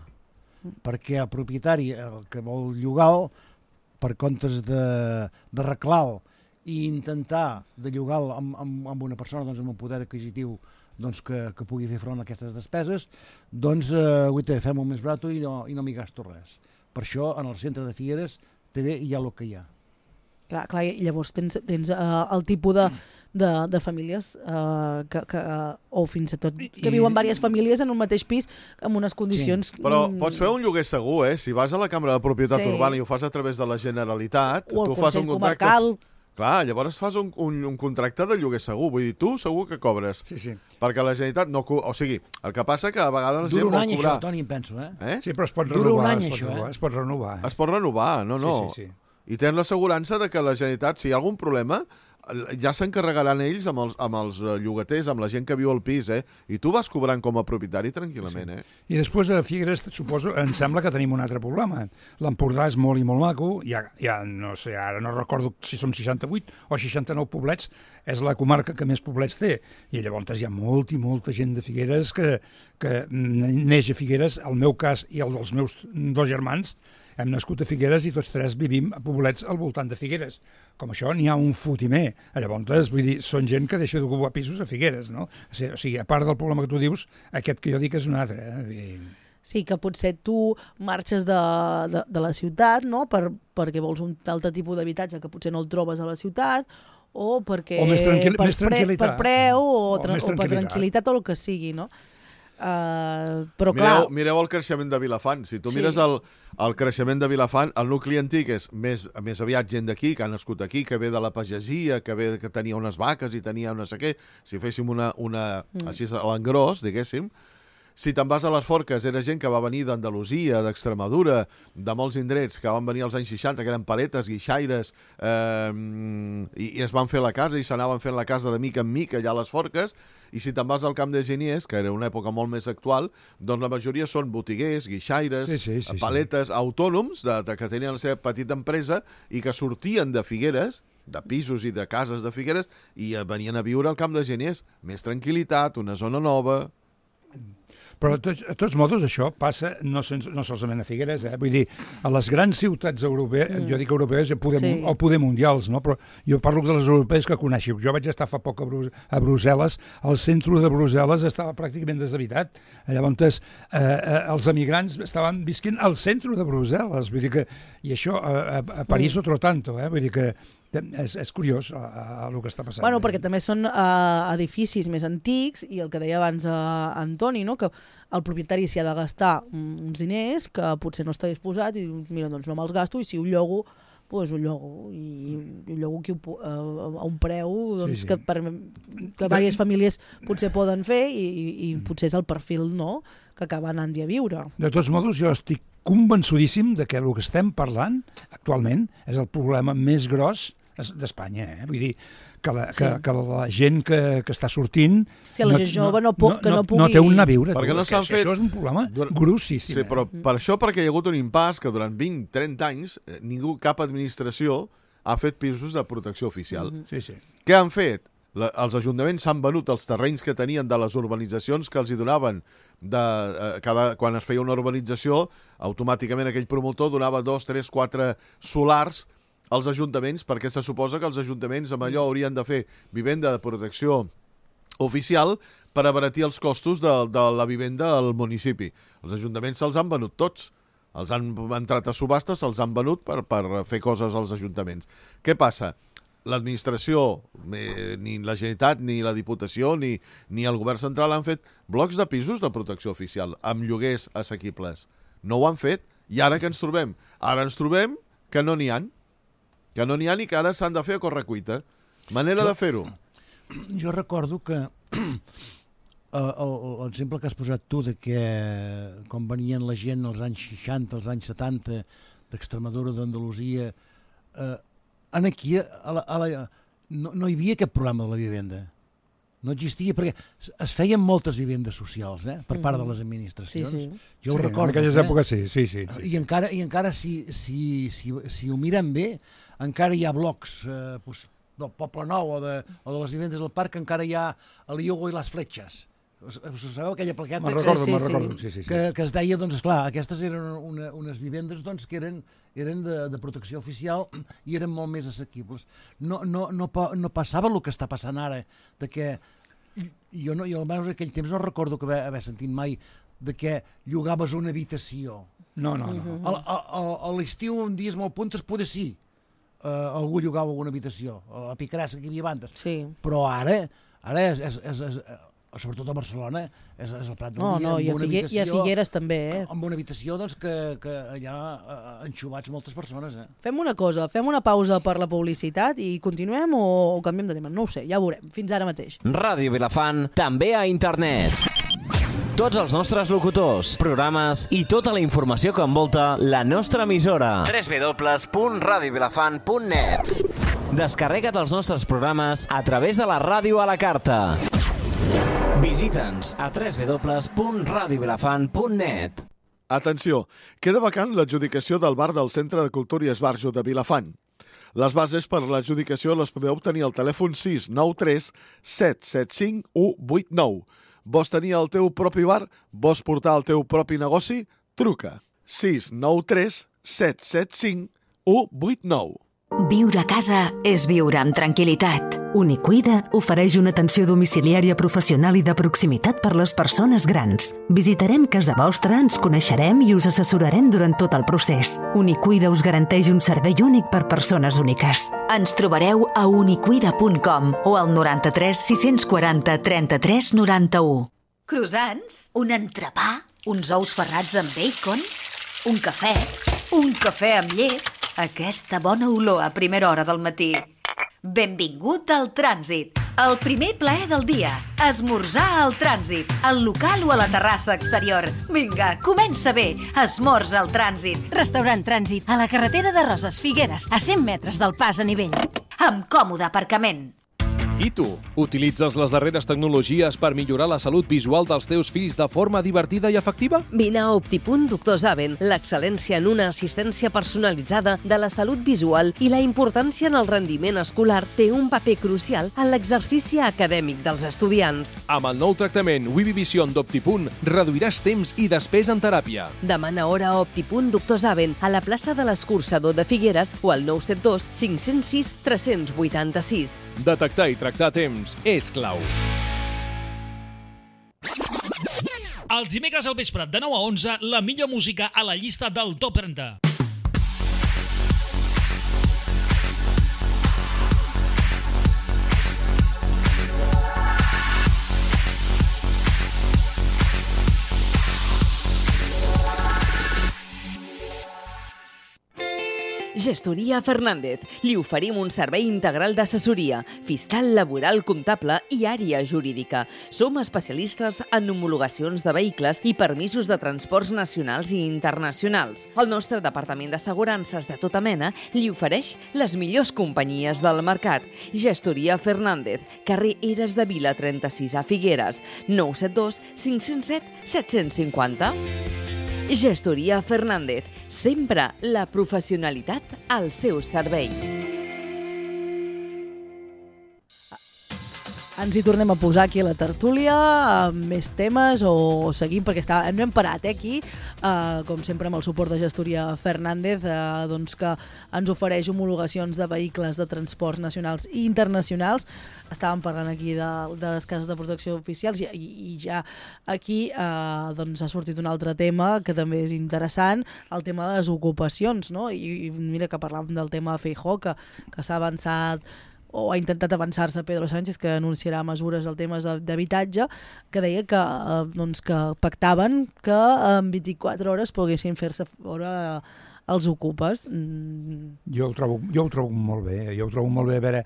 Perquè el propietari, el que vol llogar-lo, per comptes de, de reclar-lo i intentar de llogar-lo amb, amb, amb una persona doncs, amb un poder adquisitiu doncs, que, que pugui fer front a aquestes despeses, doncs eh, guaita, fem-ho més barat i no, i no m'hi gasto res. Per això, en el centre de Figueres, també hi ha el que hi ha. Clar, clar, i llavors tens, tens uh, el tipus de, de, de famílies uh, que, que, uh, o fins i tot que I- viuen diverses famílies en un mateix pis amb unes condicions... Però mm, pots fer un lloguer segur, eh? Si vas a la Cambra de Propietat Sí. Urbana i ho fas a través de la Generalitat, o el tu fas Consell un contracte... Comarcal... Clar, llavors fas un, un, un contracte de lloguer segur. Vull dir, tu segur que cobres. Sí, sí. Perquè la Generalitat no... Co o sigui, el que passa que a vegades la Dura gent un vol any cobrar... això, Toni, em penso, eh? Eh? Sí, però es pot Dura un renovar. any, es, pot això, renovar eh? es pot renovar. Es pot renovar, no, no. Sí, sí, sí. I tens l'assegurança de que la Generalitat, si hi ha algun problema, ja s'encarregaran ells amb els, amb els eh, llogaters, amb la gent que viu al pis, eh? I tu vas cobrant com a propietari tranquil·lament, eh? I després a Figueres, suposo, em sembla que tenim un altre problema. L'Empordà és molt i molt maco, ja, ja no sé, ara no recordo si som seixanta-vuit o seixanta-nou poblets, és la comarca que més poblets té, i llavors hi ha molta i molta gent de Figueres que, que neix a Figueres, el meu cas i el dels meus dos germans, hem nascut a Figueres i tots tres vivim a poblets al voltant de Figueres. Com això n'hi ha un fotimer. Llavors, vull dir, són gent que deixa d'ocupar pisos a Figueres, no? O sigui, a part del problema que tu dius, aquest que jo dic és un altre. Eh? I... Sí, que potser tu marxes de, de, de la ciutat, no?, per, perquè vols un altre tipus d'habitatge que potser no el trobes a la ciutat, o perquè... O més tranquil- per, més tranquil·litat. per preu, o, O tra més o per tranquil·litat. tranquil·litat, o el que sigui, no? Uh, però clar... Mireu, mireu el creixement de Vilafant. Si tu Sí. mires el, el creixement de Vilafant, el nucli antic és més, més aviat gent d'aquí, que ha nascut aquí, que ve de la pagesia, que ve que tenia unes vaques i tenia no sé què. Si féssim una, una Mm. així a l'engròs, diguéssim, si te'n vas a les Forques, era gent que va venir d'Andalusia, d'Extremadura, de molts indrets, que van venir als anys seixanta, que eren paletes, guixaires, eh, i, i es van fer la casa, i s'anaven fent la casa de mica en mica allà a les Forques, i si te'n vas al Camp de Geniers, que era una època molt més actual, doncs la majoria són botiguers, guixaires, Sí, sí, sí, sí. paletes, autònoms, de, de, que tenien la seva petita empresa i que sortien de Figueres, de pisos i de cases de Figueres, i eh, venien a viure al Camp de Geniers. Més tranquil·litat, una zona nova... Però, de tots, de tots modos, això passa no, sens, no solament a Figueres, eh? Vull dir, a les grans ciutats europees, mm. jo dic europees, poder, Sí. o poder mundials, no? Però jo parlo de les europees que coneixo. Jo vaig estar fa poc a, Brus a Brussel·les, el centre de Brussel·les estava pràcticament deshabitat. Llavors, eh, eh, els emigrants estaven visquent al centre de Brussel·les, vull dir que, i això a, a, a París mm. otro tanto, eh? Vull dir que és, és curiós a, a, a el que està passant. Bueno, perquè també són uh, edificis més antics i el que deia abans uh, Antoni, no?, que el propietari s'hi ha de gastar uns diners que potser no està disposat i diu, mira, doncs no me'ls gasto i si ho llogo, doncs ho llogo i ho llogo aquí, uh, a un preu doncs, Sí, sí. que, per, que diverses famílies potser poden fer i, i, i potser és el perfil, no?, que acaba anant-hi a viure. De tots modos, jo estic convençudíssim de que el que estem parlant actualment és el problema més gros d'Espanya, eh? Vull dir, que la, que, sí. que la gent que, que està sortint... És que la gent jove no, no, que no, no pugui... No té on anar a viure. Perquè tu, no s'han fet... Això és un problema durant... grossíssim. Sí, però per això, perquè hi ha hagut un impàs que durant vint trenta anys ningú, cap administració, ha fet pisos de protecció oficial. Mm-hmm. Sí, sí. Què han fet? La, els ajuntaments s'han venut els terrenys que tenien de les urbanitzacions que els hi donaven. De, eh, cada, quan es feia una urbanització, automàticament aquell promotor donava dos, tres, quatre solars als ajuntaments, perquè se suposa que els ajuntaments amb allò haurien de fer vivenda de protecció oficial per abaratir els costos de, de la vivenda al municipi. Els ajuntaments se'ls han venut tots. Els han entrat a subhastes, se'ls han venut per, per fer coses als ajuntaments. Què passa? L'administració, ni la Generalitat, ni la Diputació, ni, ni el govern central han fet blocs de pisos de protecció oficial amb lloguers assequibles. No ho han fet. I ara què ens trobem? Ara ens trobem que no n'hi ha. Que no n'hi ha i que ara s'han de fer a correcuita. Manera jo, de fer-ho. Jo recordo que l'exemple que has posat tu de que com venien la gent als anys seixanta, als anys setanta, d'Extremadura, d'Andalusia... Eh, aquí a la, a la, no, no hi havia aquest problema de la vivenda. No existia, perquè es feien moltes vivendes socials, eh, per part de les administracions. Sí, sí. Jo ho sí, recordo. En aquelles eh? èpoques sí, sí, sí. sí. I encara, i encara si, si, si, si ho miren bé, encara hi ha blocs eh, pues, del Poble Nou o de, o de les vivendes del parc, encara hi ha el Iogo i les Fletxes. Us, us sabeu aquella plaqueta? Me'n recordo, sí, me'n sí, recordo. Sí, sí, sí. Que, que es deia, doncs, esclar, aquestes eren una, unes vivendes doncs, que eren, eren de, de protecció oficial i eren molt més assequibles. No, no, no, no passava el que està passant ara, de que jo, no, jo almenys en aquell temps no recordo que haver, haver sentit mai de que llogaves una habitació. No, no, no. A, a, a, a l'estiu, en dies molt puntes, poder sí. Uh, algú llogava alguna habitació, a la picarassa que hi havia abans. Sí. Però ara, ara és... és, és, és sobretot a Barcelona, és, és el Prat del no, Dia, no, amb i a, una Figue habitació... I a Figueres també, eh? Amb una habitació, doncs, que, que allà eh, enxubats moltes persones, eh? Fem una cosa, fem una pausa per la publicitat i continuem o, o canviem de tema? No ho sé, ja ho veurem. Fins ara mateix. Ràdio Vilafant, també a internet. Tots els nostres locutors, programes i tota la informació que envolta la nostra emissora. w w w punt radio vilafant punt net. Descarrega't els nostres programes a través de la ràdio a la carta. Visita'ns a w w w punt radio vilafant punt net. Atenció, queda vacant l'adjudicació del bar del Centre de Cultura i Esbarjo de Vilafant. Les bases per l'adjudicació les podeu obtenir al telèfon sis nou tres set set cinc u vuit nou. Vols tenir el teu propi bar? Vols portar el teu propi negoci? Truca sis nou tres set set cinc u vuit nou. Viure a casa és viure amb tranquil·litat. Unicuida ofereix una atenció domiciliària professional i de proximitat per les persones grans. Visitarem casa vostra, ens coneixerem i us assessorarem durant tot el procés. Unicuida us garanteix un servei únic per persones úniques. Ens trobareu a unicuida punt com o al noranta-tres sis-cents quaranta trenta-tres noranta-u. Croissants, un entrepà, uns ous ferrats amb bacon, un cafè, un cafè amb llet, aquesta bona olor a primera hora del matí. Benvingut al Trànsit, el primer plaer del dia. Esmorzar al Trànsit, al local o a la terrassa exterior. Vinga, comença bé, esmorza al Trànsit. Restaurant Trànsit, a la carretera de Roses, Figueres, a cent metres del pas a nivell. Amb còmode aparcament. I tu, utilitzes les darreres tecnologies per millorar la salut visual dels teus fills de forma divertida i efectiva? Vine a Optipunt Doctor Zaven, l'excel·lència en una assistència personalitzada de la salut visual i la importància en el rendiment escolar té un paper crucial en l'exercici acadèmic dels estudiants. Amb el nou tractament Wibivision d'Optipunt reduiràs temps i despesa en teràpia. Demana hora a Optipunt Doctor Zaven a la plaça de l'Escurçador de Figueres o al nou set dos cinc zero sis tres vuit sis. Detectar i tractar a temps és clau. Els dimecres al vespre de nou a onze, la millor música a la llista del Top trenta. Gestoria Fernández. Li oferim un servei integral d'assessoria, fiscal, laboral, comptable i àrea jurídica. Som especialistes en homologacions de vehicles i permisos de transports nacionals i internacionals. El nostre departament d'assegurances de tota mena li ofereix les millors companyies del mercat. Gestoria Fernández, carrer Eres de Vila trenta-sis a Figueres, nou set dos cinc zero set set cinc zero. Gestoria Fernández, sempre la professionalitat al seu servei. Ens hi tornem a posar aquí a la tertúlia, amb més temes, o seguim, perquè està, no hem parat eh, aquí, eh, com sempre amb el suport de Gestoria Fernández, eh, doncs que ens ofereix homologacions de vehicles de transports nacionals i internacionals. Estàvem parlant aquí de, de les cases de protecció oficials i, i ja aquí eh, doncs ha sortit un altre tema que també és interessant, el tema de les ocupacions, no? I, i mira que parlàvem del tema de Feijóo, que, que s'ha avançat o ha intentat avançar-se Pedro Sánchez, que anunciarà mesures del temes d'habitatge, que deia que, eh, doncs que pactaven que en vint-i-quatre hores poguessin fer-se fora els ocupes. Mm. Jo ho trobo, jo ho trobo molt bé, jo ho trobo molt bé, a veure,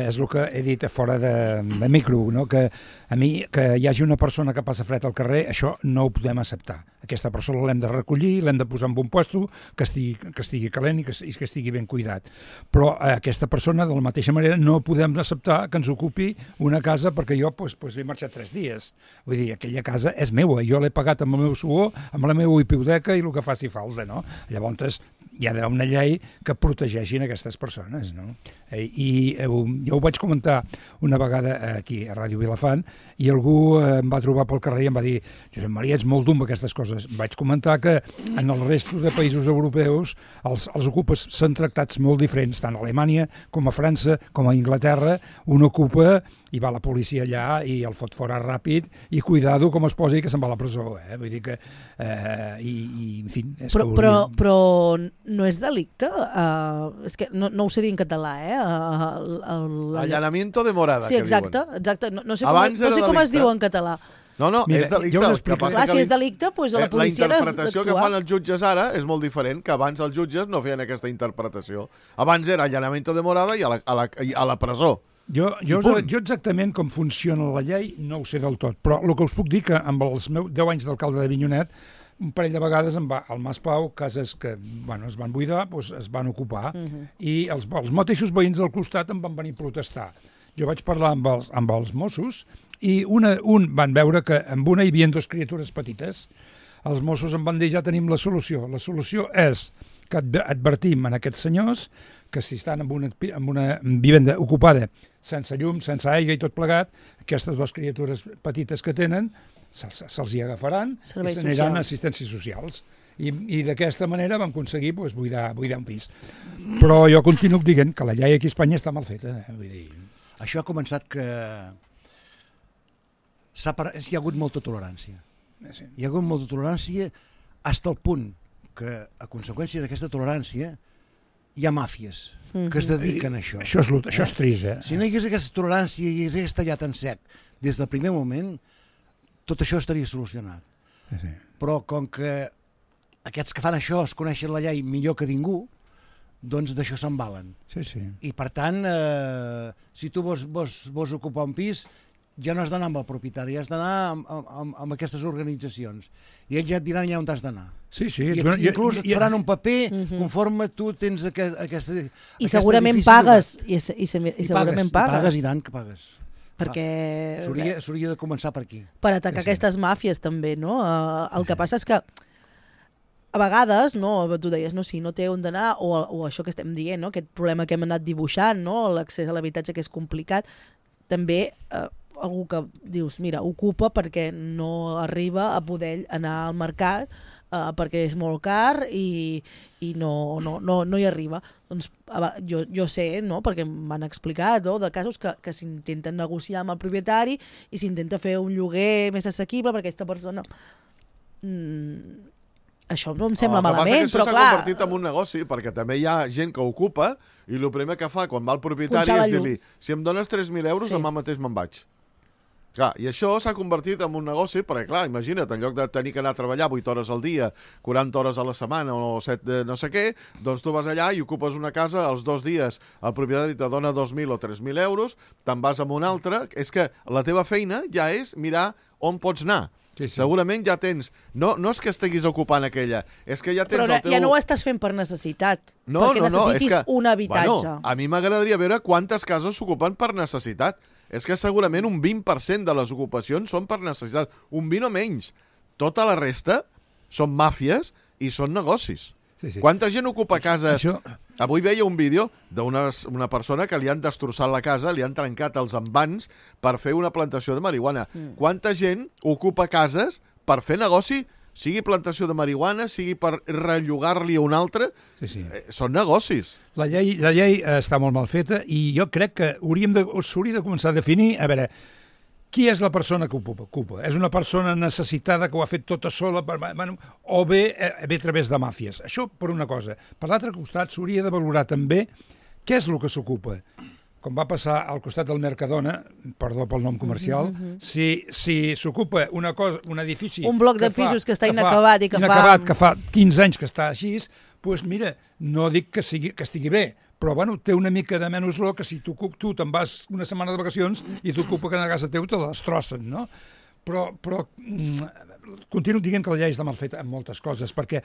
és el que he dit a fora de, de micro, no? Que a mi, que hi hagi una persona que passa fred al carrer, això no ho podem acceptar. Aquesta persona l'hem de recollir, l'hem de posar en un puesto, que estigui, que estigui calent i que, i que estigui ben cuidat. Però eh, aquesta persona, de la mateixa manera, no podem acceptar que ens ocupi una casa perquè jo pues, pues, he marxat tres dies. Vull dir, aquella casa és meua, jo l'he pagat amb el meu suor, amb la meva hipoteca i el que faci falta, no? Llavors, hi ha d'haver una llei que protegeixin aquestes persones, no? I eh, jo ho vaig comentar una vegada aquí a Ràdio Vilafant i algú eh, em va trobar pel carrer i em va dir: Josep Maria, ets molt dur amb aquestes coses. Vaig comentar que en el resto de països europeus els, els ocupes són tractats molt diferents, tant a Alemanya com a França com a Inglaterra. Un ocupa i va la policia allà i el fot fora ràpid i cuidado com es posi que se'n va a la presó, eh? Vull dir que eh, i, i en fi, és però, que però, però no és delicte? Uh, és que no, no ho sé dir en català, eh? Uh, el, el, Allanamiento de morada, sí, que exacte, diuen. Exacte, no, no sé com, no sé com es diu en català. No, no, Mira, és delicte. jo us explico. Clar, si és delicte, doncs la policia ha d'actuar. La interpretació que fan els jutges ara és molt diferent, que abans els jutges no feien aquesta interpretació. Abans era allanamiento de morada i a la, a la, a la presó. Jo, jo, jo exactament com funciona la llei no ho sé del tot, però el que us puc dir que amb els meus deu anys d'alcalde d'Avinyonet un parell de vegades em va, al Mas Pau, cases que bueno, es van buidar, doncs es van ocupar, uh -huh. i els, els mateixos veïns del costat em van venir a protestar. Jo vaig parlar amb els, amb els Mossos i una, un van veure que amb una hi havia dues criatures petites. Els Mossos em van dir: ja tenim la solució. La solució és que advertim en aquests senyors que si estan en una, en una vivenda ocupada sense llum, sense aigua i tot plegat, aquestes dues criatures petites que tenen se'ls, se'ls hi agafaran serveis i s'aniran a assistències socials. I, i d'aquesta manera vam aconseguir pues, buidar, buidar un pis. Però jo continuo dient que la llei aquí a Espanya està mal feta. Eh? Vull dir... Això ha començat que s'ha par... hi ha hagut molta tolerància. Sí. Hi ha hagut molta tolerància fins al punt que, a conseqüència d'aquesta tolerància, hi ha màfies mm-hmm. que es dediquen a això. Això és, això és trist, eh? Si no hi hagués aquesta tolerància i hi hagués tallat en sec des del primer moment, tot això estaria solucionat. Sí. Però com que aquests que fan això es coneixen la llei millor que ningú, doncs d'això se'n valen. Sí, sí. I per tant, eh, si tu vols, vols, vols ocupar un pis, ja no has d'anar amb el propietari, has d'anar amb, amb, amb aquestes organitzacions. I ells ja et diran ja on has d'anar. Sí, sí. I et, inclús et faran un paper uh-huh. conforme tu tens aquest, aquesta, I aquesta segurament pagues. I, i, i, i segurament pagues. pagues. I pagues i tant que pagues. Perquè... S'hauria de començar per aquí. Per atacar sí, sí. aquestes màfies també, no? Uh, el que passa és que a vegades, no, tu deies, no, si no té on d'anar, o, o això que estem dient, no? Aquest problema que hem anat dibuixant, no? L'accés a l'habitatge que és complicat, també eh, algú que dius, mira, ocupa perquè no arriba a poder anar al mercat eh, perquè és molt car i, i no, no, no, no hi arriba. Doncs jo, jo sé, no? Perquè m'han explicat no? de casos que, que s'intenten negociar amb el propietari i s'intenta fer un lloguer més assequible perquè aquesta persona... Mm, això no em sembla oh, malament, però clar... Això s'ha convertit en un negoci, perquè també hi ha gent que ocupa i el primer que fa quan va al propietari és dir-li: si em dones tres mil euros, sí. demà mateix me'n vaig. Clar, i això s'ha convertit en un negoci, perquè, clar, imagina't, en lloc de tenir que anar a treballar vuit hores al dia, quaranta hores a la setmana o set de no sé què, doncs tu vas allà i ocupes una casa, els dos dies el propietari te dona dos mil o tres mil euros, te'n vas amb un altre, és que la teva feina ja és mirar on pots anar. Sí, sí. Segurament ja tens... No, no és que estiguis ocupant aquella, és que ja tens Però el teu... ja no ho estàs fent per necessitat, no, perquè no, no, necessitis és que, un habitatge. Bueno, a mi m'agradaria veure quantes cases s'ocupen per necessitat. És que segurament un vint per cent de les ocupacions són per necessitat. Un vint o menys. Tota la resta són màfies i són negocis. Sí, sí. Quanta gent ocupa cases... Això... Avui veia un vídeo d'una una persona que li han destrossat la casa, li han trencat els envans per fer una plantació de marihuana. Mm. Quanta gent ocupa cases per fer negoci, sigui plantació de marihuana, sigui per rellogar-li a un altre, sí, sí. Eh, són negocis. La llei, la llei està molt mal feta i jo crec que hauríem de, s'hauria de començar a definir, a veure, qui és la persona que ocupa? ocupa? És una persona necessitada que ho ha fet tota sola, per, bueno, o bé, eh, bé a través de màfies. Això per una cosa. Per l'altre costat s'hauria de valorar també què és el que s'ocupa. Com va passar al costat del Mercadona, perdó pel nom comercial, mm-hmm. si si s'ocupa una cosa, un edifici... Un bloc de pisos que, fa, que està inacabat que i que inacabat, fa... que fa quinze anys que està així, doncs mira, no dic que, sigui, que estigui bé, però bueno, té una mica de menys raó que si tu, tu te'n vas una setmana de vacacions i t'ocupa que a casa teu te la destrossen, no? Però, però mm, continuo dient que la llei està mal feta en moltes coses, perquè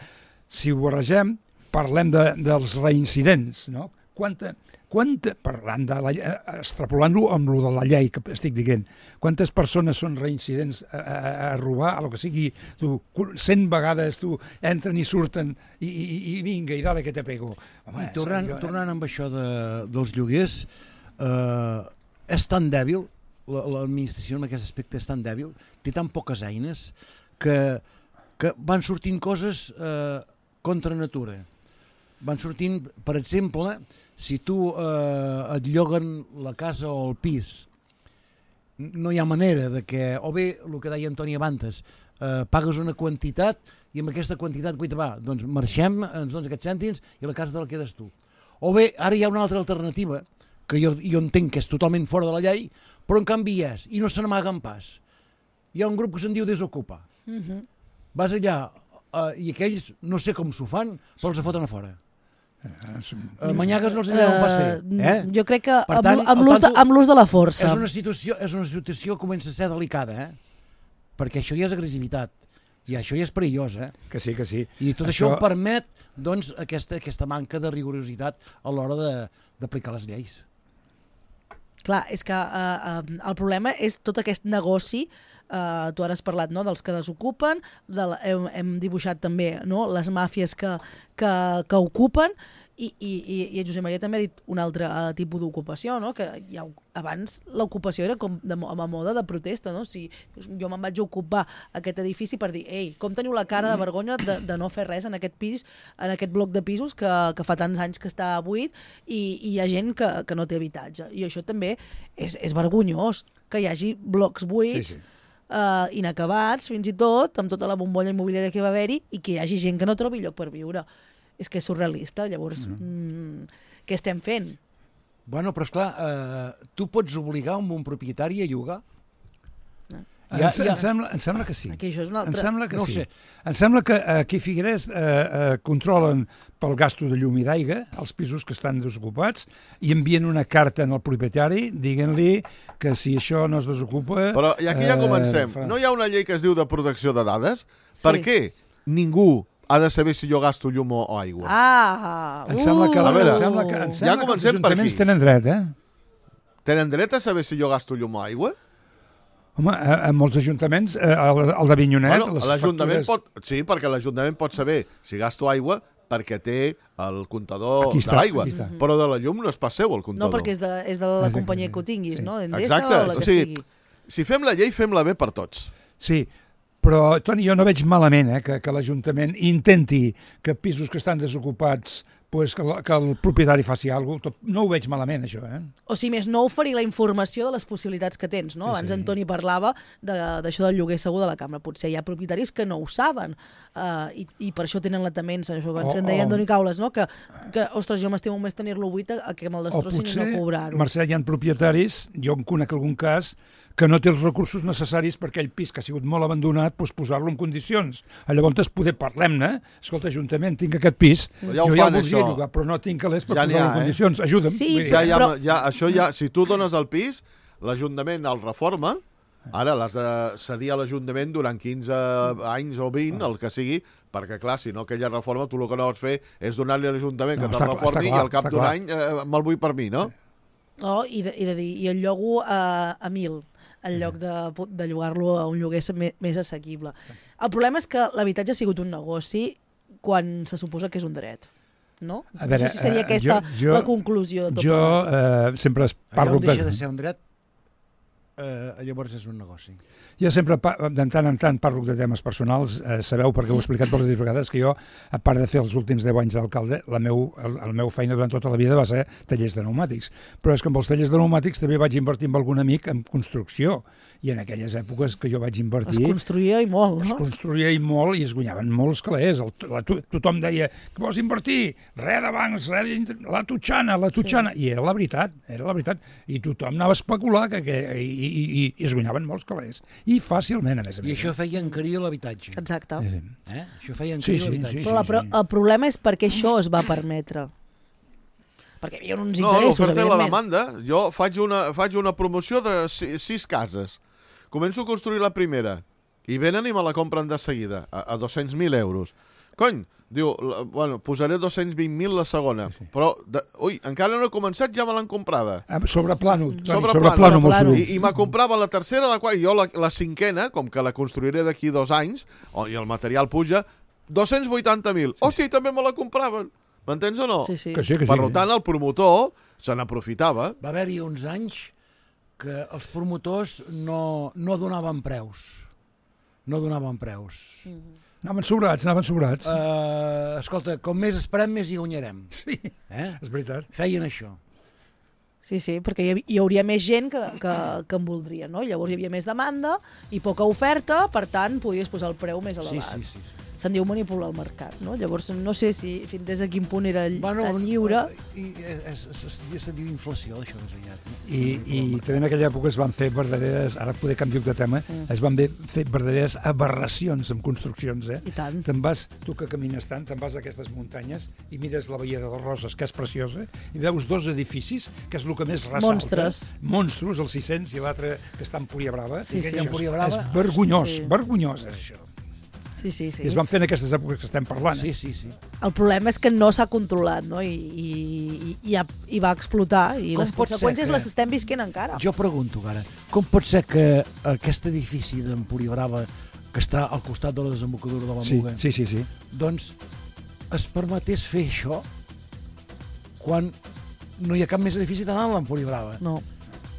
si ho barregem, parlem de, dels reincidents, no? Quanta... Quanta, parlant de la, extrapolant-ho amb lo de la llei que estic dient, quantes persones són reincidents a, a, a robar, a lo que sigui, tu, cent vegades tu entren i surten i, i, i vinga, i dale que te pego. Home, I tornant, jo, eh? tornant amb això de, dels lloguers, eh, és tan dèbil, l'administració en aquest aspecte és tan dèbil, té tan poques eines, que, que van sortint coses eh, contra natura. Van sortint, per exemple, si tu eh, et lloguen la casa o el pis, no hi ha manera de que, o bé, el que deia Antoni abans, eh, pagues una quantitat i amb aquesta quantitat, guaita, va, doncs marxem, ens dones aquests cèntims i la casa te la quedes tu. O bé, ara hi ha una altra alternativa, que jo, jo entenc que és totalment fora de la llei, però en canvi és, i no se n'amaguen pas. Hi ha un grup que se'n diu Desocupa. Uh-huh. Vas allà, eh, i aquells, no sé com s'ho fan, però els foten a fora. Uh, manyagues no els deuen pas fer. Eh? Jo crec que per tant, amb l'ús de, de, de la força. És una situació, és una situació que comença a ser delicada, eh? Perquè això ja és agressivitat. I això ja és perillós, eh? Que sí, que sí. I tot això, això permet, doncs, aquesta, aquesta manca de rigorositat a l'hora d'aplicar les lleis. Clar, és que uh, uh, el problema és tot aquest negoci. Uh, tu ara has parlat, no?, dels que desocupen, de la, hem, hem dibuixat també, no?, les màfies que, que, que ocupen, i, i, i en Josep Maria també ha dit un altre uh, tipus d'ocupació, no?, que ja, abans l'ocupació era com de, a moda de protesta, no? Si jo me'n vaig ocupar aquest edifici per dir, ei, com teniu la cara de vergonya de, de no fer res en aquest pis, en aquest bloc de pisos que, que fa tants anys que està buit i, i hi ha gent que, que no té habitatge. I això també és, és vergonyós, que hi hagi blocs buits, sí, sí. Uh, inacabats, fins i tot, amb tota la bombolla immobiliària que va haver-hi, i que hi hagi gent que no trobi lloc per viure. És que és surrealista, llavors, mm-hmm. mm, què estem fent? Bueno, però esclar, uh, tu pots obligar un bon propietari a llogar? No. Ja, ja... Em, sembla, em sembla que sí. Aquí això és una altra... Em sembla que no sí. Sé. Em sembla que aquí a Figueres eh, eh, controlen pel gasto de llum i d'aigua els pisos que estan desocupats i envien una carta al propietari dient-li que si això no es desocupa... Però i aquí ja comencem. Eh, fa... No hi ha una llei que es diu de protecció de dades? Sí. Per què ningú ha de saber si jo gasto llum o aigua? Ah! Em sembla que, uh, em sembla que, em sembla ja que els ajuntaments tenen dret, eh? Tenen dret a saber si jo gasto llum o aigua? Home, en molts ajuntaments, el, el d'Avinyonet... Bueno, l'Ajuntament factures... pot... Sí, perquè l'Ajuntament pot saber si gasto aigua perquè té el comptador de l'aigua, però de la llum no és pas seu, el comptador. No, perquè és de, és de la Exacte. companyia que ho tinguis, sí. no? Endesa o la que o sigui, sigui. Si fem la llei, fem-la bé per tots. Sí, però, Toni, jo no veig malament eh, que, que l'Ajuntament intenti que pisos que estan desocupats pues que, que el propietari faci alguna cosa. No ho veig malament, això, eh? O si més no, oferir la informació de les possibilitats que tens, no? Sí, Abans sí. en Toni parlava d'això de, del lloguer segur de la cambra. Potser hi ha propietaris que no ho saben uh, i, i per això tenen la temença, això que ens en deia Antoni Caules, no? Que, que ostres, jo m'estimo més tenir-lo buit a que me'l destrossin i no cobrar-ho. Mercè, hi ha propietaris, jo en conec algun cas, que no té els recursos necessaris per aquell pis que ha sigut molt abandonat, doncs posar-lo en condicions. Llavors poder parlem-ne, escolta, Ajuntament, tinc aquest pis, ja jo fan, ja el voldria això. llogar, però no tinc calés per Ja n'hi posar-lo ha, en eh? condicions. Ajuda'm. Sí, Vull dir, Ja, ja, Però- ja, això ja, si tu dones el pis, l'Ajuntament el reforma, ara l'has de cedir a l'Ajuntament durant quinze anys o vint, el que sigui, perquè, clar, si no aquella reforma, tu el que no vols fer és donar-li a l'Ajuntament No, que està te'l clar, reformi està clar, i al cap està d'un clar. any eh, me'l vull per mi, no? No, i de, i de dir, i el llogo a, a mil, en lloc de, de llogar-lo a un lloguer més, més assequible. El problema és que l'habitatge ha sigut un negoci quan se suposa que és un dret, no? A veure, no sé si seria eh, aquesta jo- jo- la conclusió de tot Jo plegat. eh, sempre es Allà parlo... on deixa de ser un dret, eh, llavors és un negoci. Jo sempre, pa- de tant en tant, parlo de temes personals. Eh, sabeu, perquè ho he explicat moltes vegades, que jo, a part de fer els últims deu anys d'alcalde, la meu, el, el meu feina durant tota la vida va ser tallers de pneumàtics. Però és que amb els tallers de pneumàtics també vaig invertir amb algun amic en construcció. I en aquelles èpoques que jo vaig invertir... Es construïa i molt, Es no? construïa i molt i es guanyaven molts calés. El, la, to, tothom deia, que vols invertir? Res de bancs, res de... La tutxana, la tutxana. Sí. I era la veritat, era la veritat. I tothom anava a especular que, que, i, i, i, i es guanyaven molts calés. I fàcilment, a més a més. I això feia encarir l'habitatge. Exacte. Eh? Això feia Sí, encarir sí, l'habitatge. sí, Però, la, però el problema és perquè això es va permetre. Perquè hi havia uns No, interessos, l'oferta i la evidentment. demanda. Jo faig una, faig una promoció de sis, sis cases. Començo a construir la primera i venen i me la compren de seguida, a, a dos-cents mil euros. Cony, diu, la, bueno, posaré dos-cents vint mil la segona, sí, sí. però, de, ui, encara no he començat, ja me l'han comprada. Ah, sobre plano, Sobre, sobre plano, plano, molt plano. sovint. I, i me comprava la tercera, la qual, jo la, la cinquena, com que la construiré d'aquí dos anys, oh, i el material puja, dos-cents vuitanta mil. Sí, hòstia, i també me la compraven. M'entens o no? Sí, sí. Que sí, que sí. Per tant, el promotor se n'aprofitava. Va haver-hi uns anys que els promotors no, no donaven preus. No donaven preus. Mm. Anaven sobrats, anaven sobrats. Uh, escolta, com més esperem, més hi guanyarem. Sí, Eh? és veritat. Feien això. Sí, sí, perquè hi, havia, hi hauria més gent que, que, que en voldria, no? Llavors hi havia més demanda i poca oferta, per tant, podies posar el preu més Sí, elevat. sí, sí. sí. Se'n diu manipular el mercat, no? Llavors, no sé si fins des de quin punt era Bueno, tan lliure. I, és, és, és, se diu inflació, això més aviat. No? I, i també en aquella època es van fer verdaderes, ara poder canviar de tema, mm. es van fer verdaderes aberracions amb construccions, eh? I tant. Te'n vas, tu que camines tant, te'n vas a aquestes muntanyes i mires la Baia de les Roses, que és preciosa, i veus dos edificis, que és el que més ressalta. Monstres. Monstros, el sis-cents, i l'altre que està a Empúria Brava. Sí, I sí. això Empúria és- Brava. És vergonyós, Sí. vergonyós és això. Sí, sí, sí. I es van fer en aquestes èpoques que estem parlant. Sí, Eh? sí, sí. El problema és que no s'ha controlat, no? I, i, i, ha, i va explotar, i Com les pot ser conseqüències que- les estem visquent encara. Jo pregunto, ara, com pot ser que aquest edifici d'Empúria Brava, que està al costat de la desembocadura de la Sí, Muga, sí, sí, sí. doncs es permetés fer això quan no hi ha cap més edifici tan alt a l'Empúria Brava? No.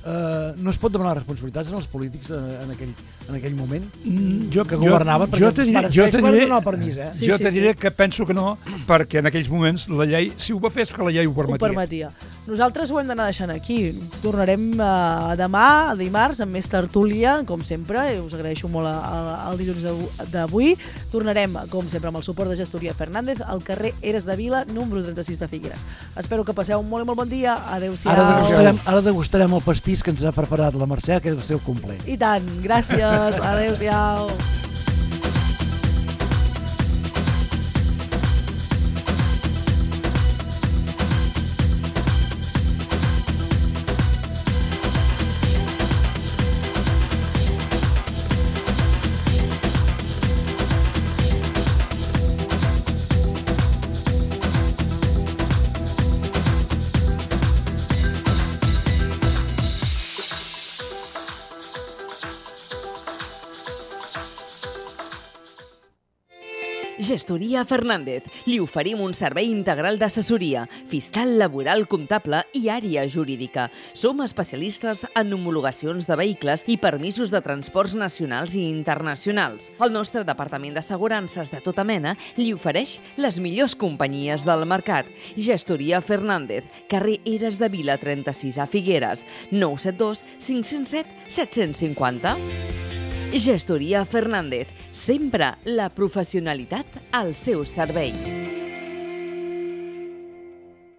Uh, no es pot demanar responsabilitats en els polítics uh, en, aquell, en aquell moment Mm, jo, que governaven, jo, perquè jo te diré, els jo pares te van diré, donar el permís, eh? Sí, jo sí, te diré sí. que penso que no, perquè en aquells moments la llei, si ho va fer és que la llei ho Ho permetia. permetia. Nosaltres ho hem d'anar deixant aquí. Tornarem uh, demà, dimarts, amb més tertúlia, com sempre, i us agraeixo molt a, a, el dilluns d'avu- d'avui. Tornarem, com sempre, amb el suport de Gestoria Fernández, al carrer Eres de Vila, número trenta-sis de Figueres. Espero que passeu un molt i molt bon dia. Adéu-siau. Ara degustarem, ara degustarem el pastís que ens ha preparat la Mercè, que és el seu complet. I tant. Gràcies. Adéu-siau. Gestoria Fernández. Li oferim un servei integral d'assessoria, fiscal, laboral, comptable i àrea jurídica. Som especialistes en homologacions de vehicles i permisos de transports nacionals i internacionals. El nostre departament d'assegurances de tota mena li ofereix les millors companyies del mercat. Gestoria Fernández, carrer Eres de Vila trenta-sis a Figueres, nou set dos cinc zero set set cinc zero. Gestoria Fernández, sempre la professionalitat al seu servei.